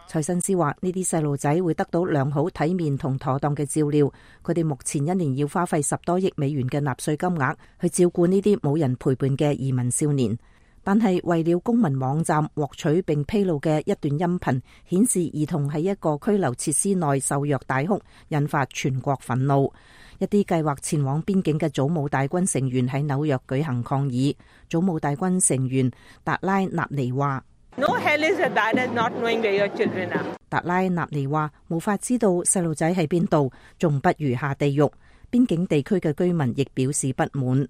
M: 財信斯話呢啲細路仔會得到良好體面同妥當嘅照料。佢哋目前一年要花費10多億美元嘅納稅金額去照顧呢啲冇人陪伴嘅移民少年。但係為了公民網站獲取並披露嘅一段音頻，顯示兒童喺一個拘留設施內受虐大哭，引發全國憤怒。一啲計劃前往邊境嘅祖母大軍成員喺紐約舉行抗議。祖母大軍成員達拉納尼話：No hell is as bad as not knowing where your children are. 達拉納尼話：無法知道細路仔喺邊度，仲不如下地獄。邊境地區嘅居民亦表示不滿。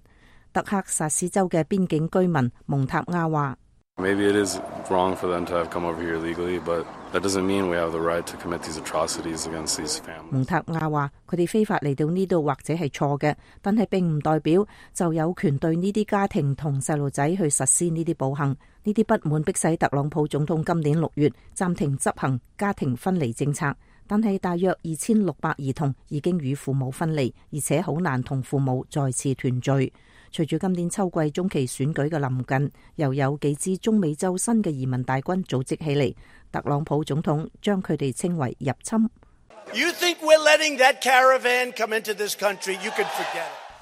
M: 德克薩斯州嘅邊境居民蒙塔亞話：Maybe it is wrong for them to have come over here legally, but that doesn't mean we have the right to commit these atrocities against these families. 蒙塔亞話：佢哋非法嚟到呢度或者係錯嘅，但係並唔代表就有權對呢啲家庭同細路仔去實施呢啲暴行。呢啲不滿迫使特朗普總統今年6月暫停執行家庭分離政策，但係大約2600兒童已經與父母分離，而且好難同父母再次團聚。隨住今年秋季中期選舉嘅臨近，又有幾支中美洲新嘅移民大軍組織起嚟，特朗普總統將佢哋稱為入侵。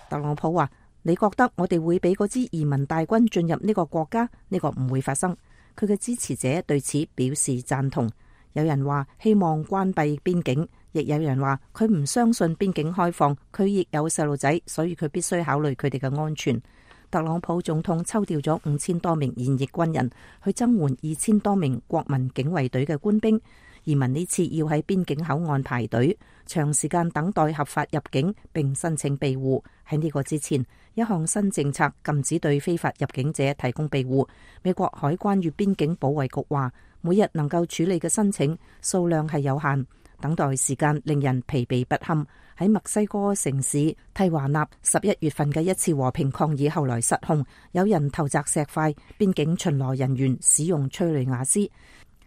M: 特朗普話：你覺得我哋會俾嗰支移民大軍進入呢個國家？呢個唔會發生。佢嘅支持者對此表示贊同。有人話希望關閉邊境，亦有人話佢唔相信邊境開放，佢亦有細路仔，所以佢必須考慮佢哋嘅安全。特朗普總統抽調咗5000多名現役軍人去增援2000多名國民警衛隊嘅官兵。移民呢次要喺邊境口岸排隊，長時間等待合法入境並申請庇護。喺呢個之前，一項新政策禁止對非法入境者提供庇護。美國海關與邊境保衛局話，每日能夠處理嘅申請數量係有限，等待時間令人疲憊不堪。喺墨西哥城市蒂華納11月份嘅一次和平抗議後來失控，有人投擲石塊，邊境巡邏人員使用催淚瓦斯。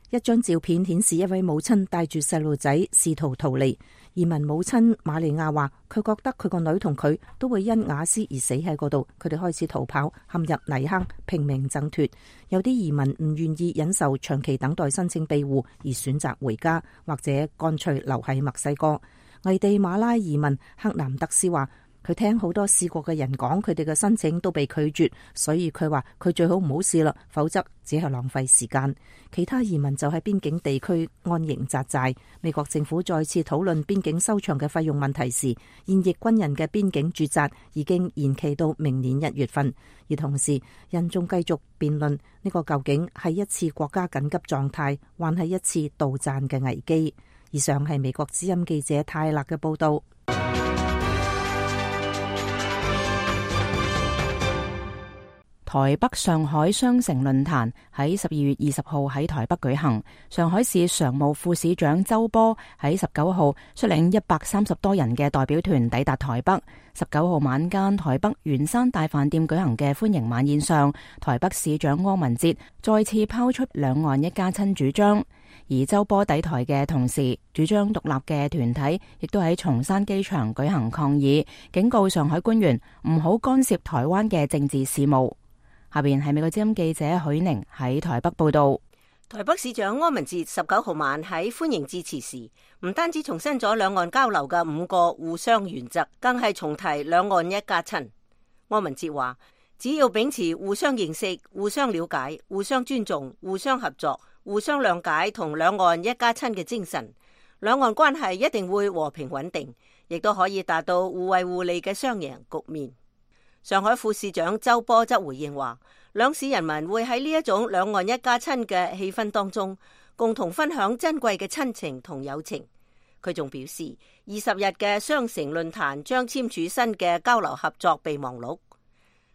M: 一張照片顯示一位母親帶住細路仔試圖逃離。移民母親瑪利亞話：佢覺得佢個女同佢都會因瓦斯而死喺嗰度。佢哋開始逃跑，陷入泥坑，拼命掙脫。有啲移民唔願意忍受長期等待申請庇護，而選擇回家，或者乾脆留喺墨西哥。危地馬拉移民克南德斯話：佢聽好多試過嘅人講，佢哋嘅申請都被拒絕，所以佢話佢最好唔好試啦，否則只係浪費時間。其他移民就喺邊境地區安營紮寨。美國政府再次討論邊境收場嘅費用問題時，現役軍人嘅邊境駐紮已經延期到明年1月份。而同時，人眾繼續辯論呢個究竟係一次國家緊急狀態，還係一次杜撰嘅危機。以上係美國之音記者泰勒嘅報道。
B: 台北上海雙城論壇喺12月20號喺台北舉行。上海市常務副市長周波喺19號率領130多人嘅代表團抵達台北。19號晚間，台北圓山大飯店舉行嘅歡迎晚宴上，台北市長柯文哲再次拋出兩岸一家親主張。而周波抵台嘅同時，主張獨立嘅團體亦都喺松山機場舉行抗議，警告上海官員唔好干涉台灣嘅政治事務。下邊係美國之音記者許寧喺台北報道。
F: 台北市長柯文哲19號晚喺歡迎致辭時，唔單止重申咗兩岸交流嘅5個互相原則，更係重提兩岸一家親。柯文哲話，只要秉持互相認識、互相了解、互相尊重、互相合作、互相諒解同兩岸一家親嘅精神，兩岸關係一定會和平穩定，亦都可以達到互惠互利嘅雙贏局面。上海副市長周波則回應話，兩市人民會喺呢一種兩岸一家親嘅氣氛當中，共同分享珍貴嘅親情同友情。佢仲表示，20日嘅雙城論壇將簽署新嘅交流合作備忘錄。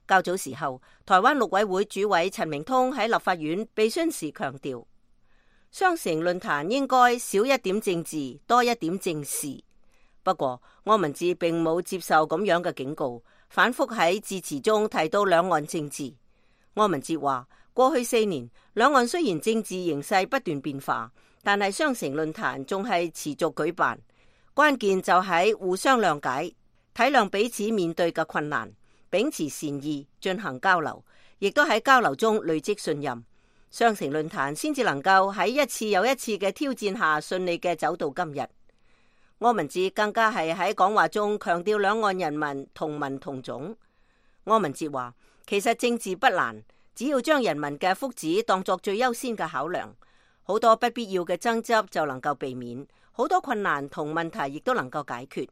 F: 較早時候，台灣陸委會主委陳明通喺立法院被詢時強調，雙城論壇應該少一點政治，多一點正事。不過，柯文哲並冇接受咁樣嘅警告，反覆喺致辭中提到兩岸政治。柯文哲話，過去4年，兩岸雖然政治形勢不斷變化，但係雙城論壇仲係持續舉辦。關鍵就喺互相諒解，體諒彼此面對嘅困難，秉持善意進行交流，亦都喺交流中累積信任。雙城論壇先至能夠喺一次又一次嘅挑戰下順利嘅走到今日。柯文哲更加係喺講話中強調兩岸人民同文同種。柯文哲話，其實政治不難，只要將人民嘅福祉當作最優先嘅考量，好多不必要嘅爭執就能夠避免，好多困難同問題亦都能夠解決。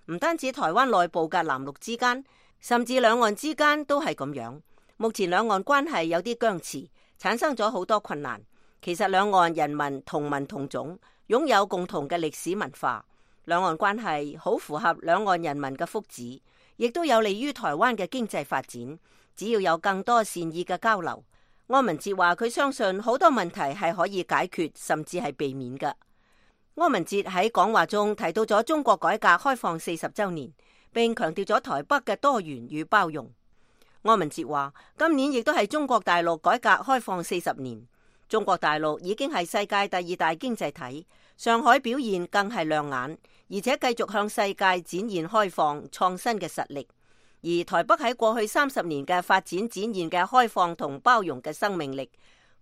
F: 唔單止台灣內部嘅藍綠之間，甚至兩岸之間都係咁樣。目前兩岸關係有啲僵持，產生咗好多困難。其實兩岸人民同文同種，擁有共同嘅歷史文化，兩岸關係好符合兩岸人民嘅福祉，亦都有利於台灣嘅經濟發展。只要有更多善意嘅交流，柯文哲話佢相信好多問題係可以解決，甚至係避免嘅。柯文哲喺講話中提到咗中國改革開放40週年，並強調咗台北嘅多元與包容。柯文哲話，今年亦都係中國大陸改革開放40年，中國大陸已經係世界第2大經濟體，上海表現更係亮眼，而且繼續向世界展現開放創新嘅實力。而台北喺過去30年嘅發展展現嘅開放同包容嘅生命力，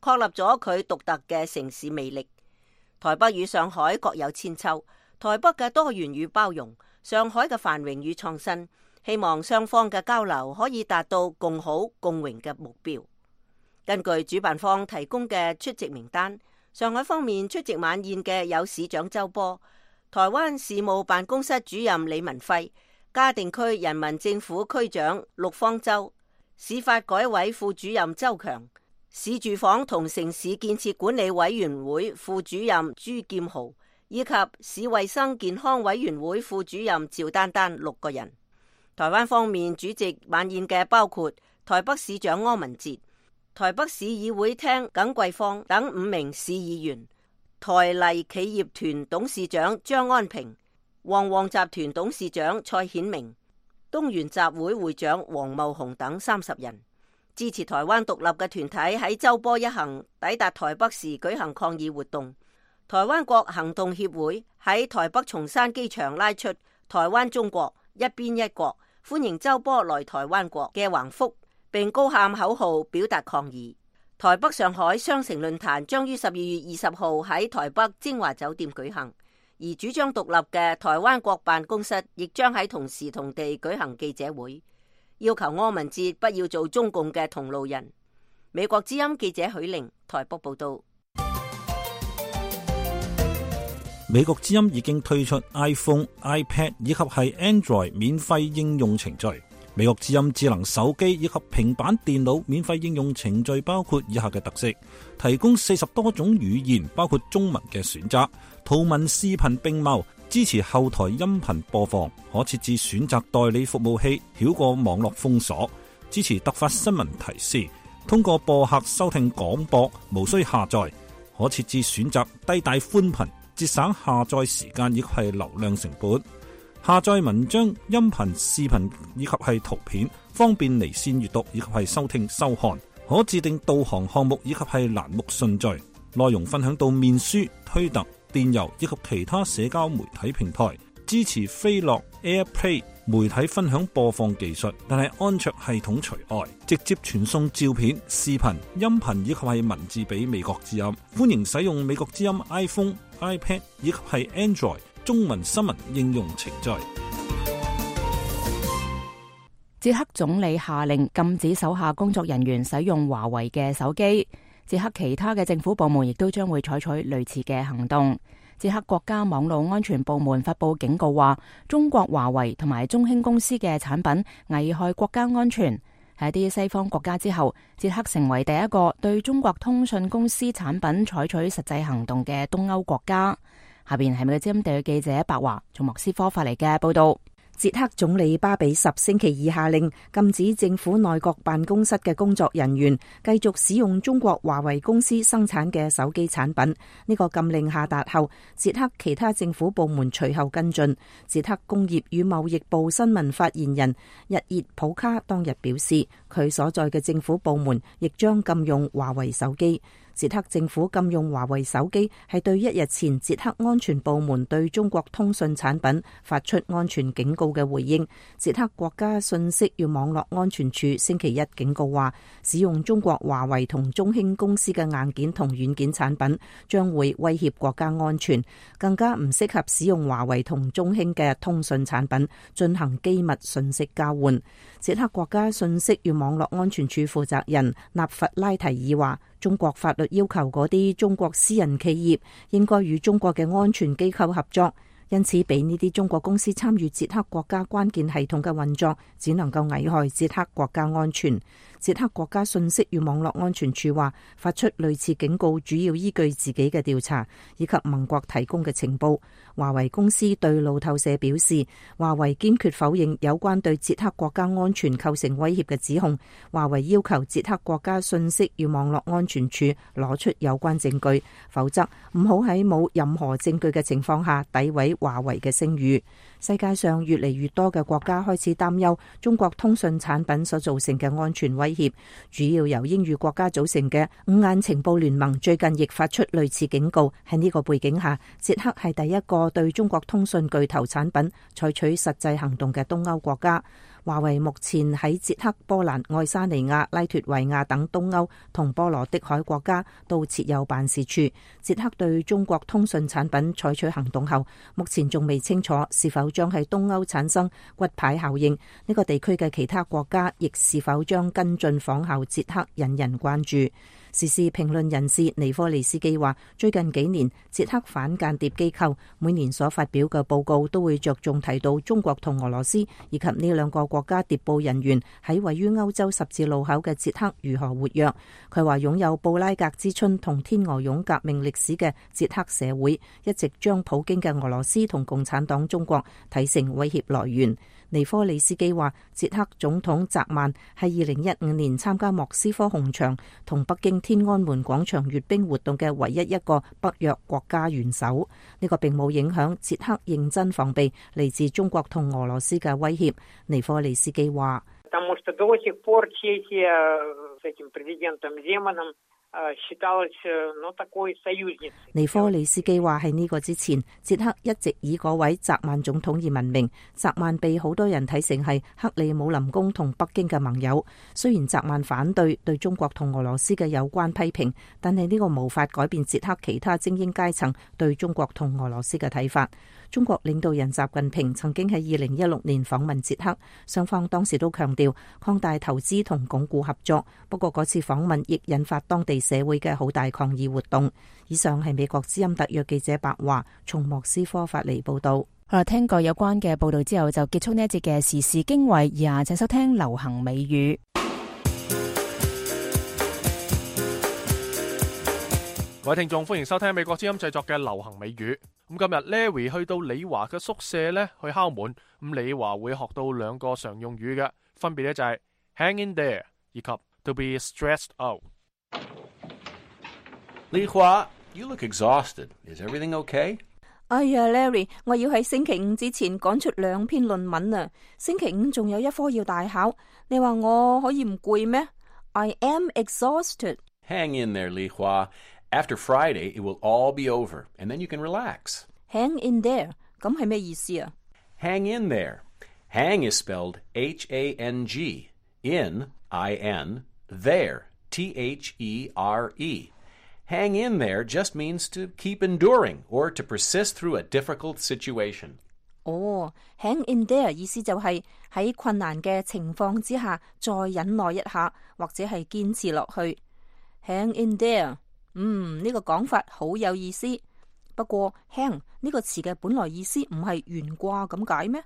F: 確立咗佢獨特嘅城市魅力。台北與上海各有千秋，台北嘅多元與包容，上海嘅繁榮與創新，希望雙方嘅交流可以達到共好共榮嘅目標。根據主辦方提供嘅出席名單，上海方面出席晚宴嘅有市長周波、台灣事務辦公室主任李文輝、嘉定區人民政府區長陸方舟、市發改委副主任周強、市住房同城市建設管理委員會副主任朱劍豪，以及市衛生健康委員會副主任趙丹丹6個人。台灣方面主席晚宴嘅包括台北市長柯文哲、台北市議會廳耿桂芳等5名市議員，台麗企業團董事長張安平、旺旺集團董事長蔡顯明、東元集會會長黃茂雄等30人。支持台灣獨立嘅團體喺周波一行抵達台北時舉行抗議活動。台灣國行動協會喺台北松山機場拉出台灣中國一邊一國，歡迎周波來台灣國嘅橫幅，並高喊口號表達抗議。台北上海雙城論壇將於12月20號喺台北精華酒店舉行，而主張獨立嘅台灣國辦公室亦將喺同時同地舉行記者會，要求柯文哲不要做中共嘅同路人。美國之音記者許玲台北報道。
G: 美國之音已經推出 iPhone、iPad 以及係 Android 免費應用程序。美國之音智能手機以及平板電腦免費應用程序包括以下嘅特色：提供40多種語言，包括中文嘅選擇，圖文視頻並茂，支持後台音頻播放，可設置選擇代理服務器，繞過網絡封鎖，支持突發新聞提示，通過播客收聽廣播，無需下載，可設置選擇低帶寬頻，節省下載時間以及係流量成本。下載文章、音頻、視頻以及係圖片，方便離線閱讀以及係收聽收看。可自定導航項目以及係欄目順序。內容分享到面書、推特、電郵以及其他社交媒體平台，支持飛樂 AirPlay 媒體分享播放技術，但係安卓系統除外，直接傳送照片、視頻、音頻以及係文字俾美國之音。歡迎使用美國之音 iPhone、iPad 以及係 Android 中文新聞應用程序。
B: 捷克總理下令禁止手下工作人員使用華為嘅手機。捷克其他嘅政府部門亦都將會採取類似嘅行動。捷克國家網絡安全部門發佈警告話，中國華為同埋中興公司嘅產品危害國家安全。喺一啲西方國家之後，捷克成為第一個對中國通訊公司產品採取實際行動嘅東歐國家。下邊係美國之音地記者白華從莫斯科發嚟嘅報道。
M: 捷克總理巴比什星期二下令禁止政府內閣辦公室嘅工作人員繼續使用中國華為公司生產嘅手機產品。呢個禁令下達後，捷克其他政府部門隨後跟進。捷克工業與貿易部新聞發言人日熱普卡當日表示，佢所在嘅政府部門亦將禁用華為手機。捷克政府禁用華為手機係對一日前捷克安全部門對中國通訊產品發出安全警告嘅回應。捷克國家信息與網絡安全處星期一警告話，使用中國華為同中興公司嘅硬件同軟件產品將會威脅國家安全，更加唔適合使用華為同中興嘅通訊產品進行機密信息交換。捷克國家信息與網絡安全處負責人納弗拉提爾話，中國法律要求嗰啲中國私人企業應該與中國嘅安全機構合作，因此俾呢啲中國公司參與捷克國家關鍵系統嘅運作，只能夠危害捷克國家安全。捷克國家信息與網絡安全處話，發出類似警告主要依據自己嘅調查以及盟國提供嘅情報。華為公司對路透社表示，華為堅決否認有關對捷克國家安全構成威脅嘅指控。華為要求捷克國家信息與網絡安全處攞出有關證據，否則唔好喺冇任何證據嘅情況下詆毀華為嘅聲譽。世界上越嚟越多嘅國家開始擔憂中國通訊產品所造成嘅安全威脅，主要由英語國家組成嘅五眼情報聯盟最近亦發出類似警告。喺呢個背景下，捷克係第一個對中國通訊巨頭產品採取實際行動嘅東歐國家。華為目前喺捷克、波蘭、愛沙尼亞、拉脫維亞等東歐同波羅的海國家都設有辦事處。捷克對中國通訊產品採取行動後，目前仲未清楚是否將喺東歐產生骨牌效應。呢個地區嘅其他國家亦是否將跟進仿效捷克，引人關注。時事評論人士尼科利斯基話，最近幾年捷克反間諜機構每年所發表嘅報告都會着重提到中國同俄羅斯以及呢兩個國家諜報人員喺位於歐洲十字路口嘅捷克如何活躍。佢話，擁有布拉格之春同天鵝絨革命歷史嘅捷克社會一直將普京嘅俄羅斯同共產黨中國睇成威脅來源。尼科利斯基話，捷克總統澤曼係2015年參加莫斯科紅場同北京天安門廣場閱兵活動嘅唯一一個北約國家元首。呢個並冇影響捷克認真防備嚟自中國同俄羅斯嘅威脅。尼科利斯基話，尼科利斯基話，喺呢個之前，捷克一直以嗰位澤曼總統而聞名。澤曼被好多人睇成係克里姆林宮同北京嘅盟友。雖然澤曼反對對中國同俄羅斯嘅有關批評，但係呢個無法改變捷克其他精英階層對中國同俄羅斯嘅睇法。中國領導人習近平曾經喺2016年訪問捷克，雙方當時都強調擴大投資同鞏固合作。不過嗰次訪問亦引發當地社會嘅好大抗議活動。以上係美國之音特約記者白華從莫斯科發嚟報道。
B: 好啦，聽過有關嘅報道之後，就結束呢一節嘅時事經緯。以下請收聽流行美語。
E: 各位聽眾，歡迎收聽美國之音製作嘅流行美語。咁今日 Larry 去到李華嘅宿舍咧去敲門，咁李華會學到兩個常用語嘅，分別咧就係 hang in there 以及 to be stressed out。
N: 李華 ，you look exhausted. Is everything okay?
M: 哎呀 ，Larry， 我要喺星期五之前趕出2篇論文啊！星期五仲有一科要大考，你話我可以唔攰咩？I am exhausted.
N: Hang in there, Li Hua. After Friday, it will all be over, and then you can relax.
M: Hang in there 咁係咩意思啊？
N: Hang in there. Hang is spelled H-A-N-G. In, I-N. There, T-H-E-R-E. Hang in there just means to keep enduring or to persist through a difficult situation.
M: hang in there 意思就係喺困難嘅情況之下再忍耐一下，或者係堅持落去。Hang in there，呢個講法好有意思。不過 hang 呢個詞嘅本來意思唔係懸掛咁解咩？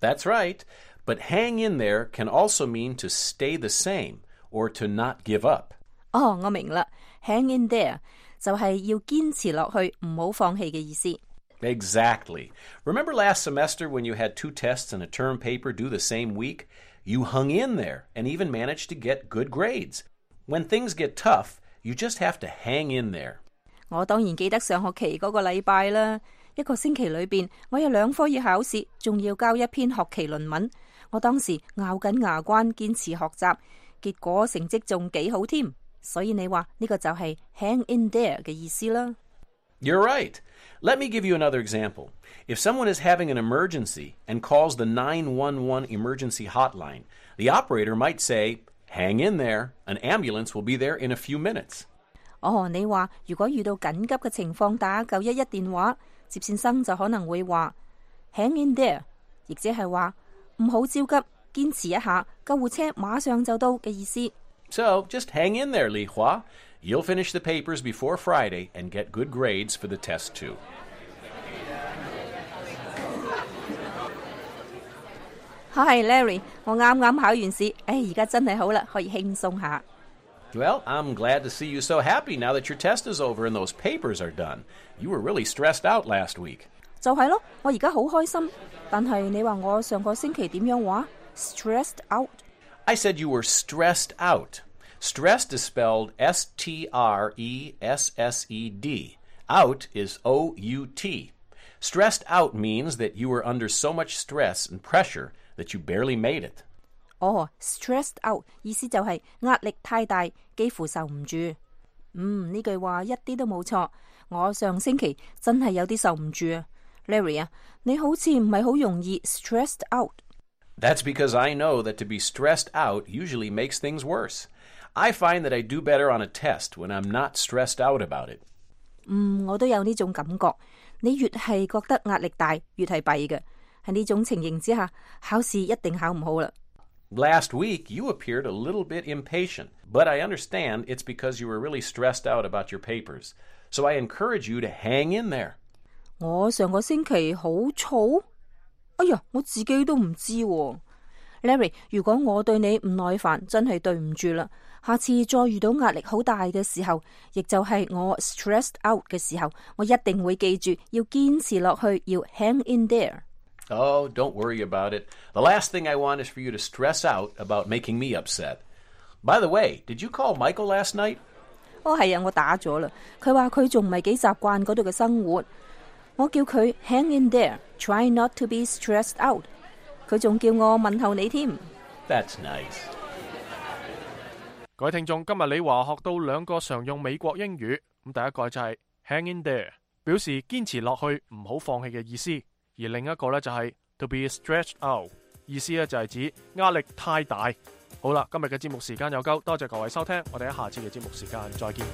N: That's right, but hang in there can also mean to stay the same or to not give up.
M: 我明啦 ，hang in there 就係要堅持落去，唔好放棄嘅意思。
N: Exactly. Remember last semester when you had 2 tests and a term paper due the same week? You hung in there and even managed to get good grades. When things get tough, you just have to hang in there.
M: 我當然記得上學期嗰個禮拜啦，一個星期裏邊，我有2科要考試，仲要交一篇學期論文。我當時咬緊牙關堅持學習，結果成績仲幾好添。所以你話呢個就係 hang in there 嘅意思啦。
N: You're right. Let me give you another example. If someone is having an emergency and calls the 911 emergency hotline, the operator might say, hang in there. An ambulance will be there in a few minutes.
M: 你話如果遇到緊急嘅情況打911電話，接線生就可能會話 hang in there， 亦即係話唔好焦急，堅持一下，救護車馬上就到嘅意思。
N: So just hang in there, Li Hua. You'll finish the papers before Friday and get good grades for the test too.
M: Hi, Larry. 我啱啱考完試，而家真係好啦，可以輕鬆下。
N: Well, I'm glad to see you so happy now that your test is over and those papers are done. You were really stressed out last week.
M: 就係咯，我而家好開心。但係你話我上個星期點樣話 ？Stressed out.
N: I said you were stressed out. Stressed is spelled S-T-R-E-S-S-E-D. Out is O-U-T. Stressed out means that you were under so much stress and pressure that you barely made it.
M: Stressed out 意思就係壓力太大，幾乎受唔住。呢句話一啲都冇錯。我上星期真係有啲受唔住啊 ，Larry 啊，你好似唔係好容易 stressed out。That's
N: because I know that to be stressed out usually makes things worse. I find that I do better on a test when I'm not stressed out about it.
M: 我都有呢種感覺。你越係覺得壓力大，越係弊嘅。喺呢種情形之下，考試一定考唔好啦。
N: Last week, you appeared a little bit impatient, but I understand it's because you were really stressed out about your papers. So I encourage you to hang in there.
M: 我上個星期好燥？哎呀，我自己都唔知喎。Larry， 如果我對你唔耐煩，真係對唔住啦。下次再遇到壓力好大嘅時候，亦就係我 stressed out 嘅時候，我一定會記住要堅持落去，要 hang in there。Oh,
N: don't worry about it. The last thing I want is for you to stress out about making me upset. By the way, did you call Michael last night?
M: 係啊，我打咗啦。佢話佢仲唔係幾習慣嗰度嘅生活。我叫佢 hang in there, try not to be stressed out。佢仲叫我問候你添。
N: That's nice.
E: 各位聽眾，今日李華學到2個常用美國英語。咁第一個就係 hang in there， 表示堅持落去，唔好放棄嘅意思。而另一個咧就係 to be stretched out， 意思咧就係指壓力太大。好啦，今日嘅節目時間有夠，多謝各位收聽，我哋喺下次嘅節目時間再見。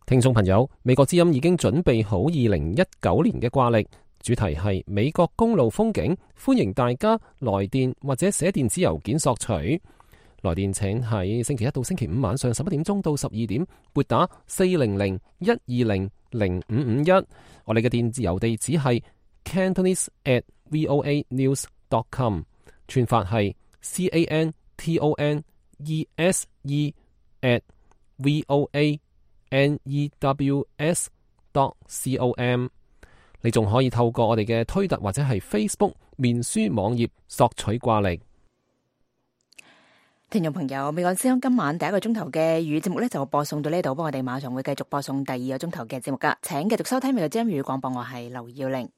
O: 聽眾朋友，美國之音已經準備好2019年嘅掛曆，主題係美國公路風景，歡迎大家來電或者寫電子郵件索取。來電請喺星期一到星期五晚上11點鐘到12點撥打400-120-0551。我哋嘅電子郵地址係 cantonese@voanews.com， 串法係 cantonese@voanews.com。 你仲可以透過我哋嘅推特或者係 Facebook 面書網頁索取掛曆。
B: 聽眾朋友，美國之音今晚第一個鐘頭嘅粵語節目呢，就播送到呢度，不過我哋馬上會繼續播送第二個鐘頭嘅節目噶，請繼續收聽美國之音粵語廣播，我係劉耀玲。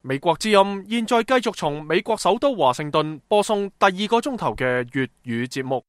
E: 美國之音現在繼續從美國首都華盛頓播送第二個鐘頭嘅粵語節目。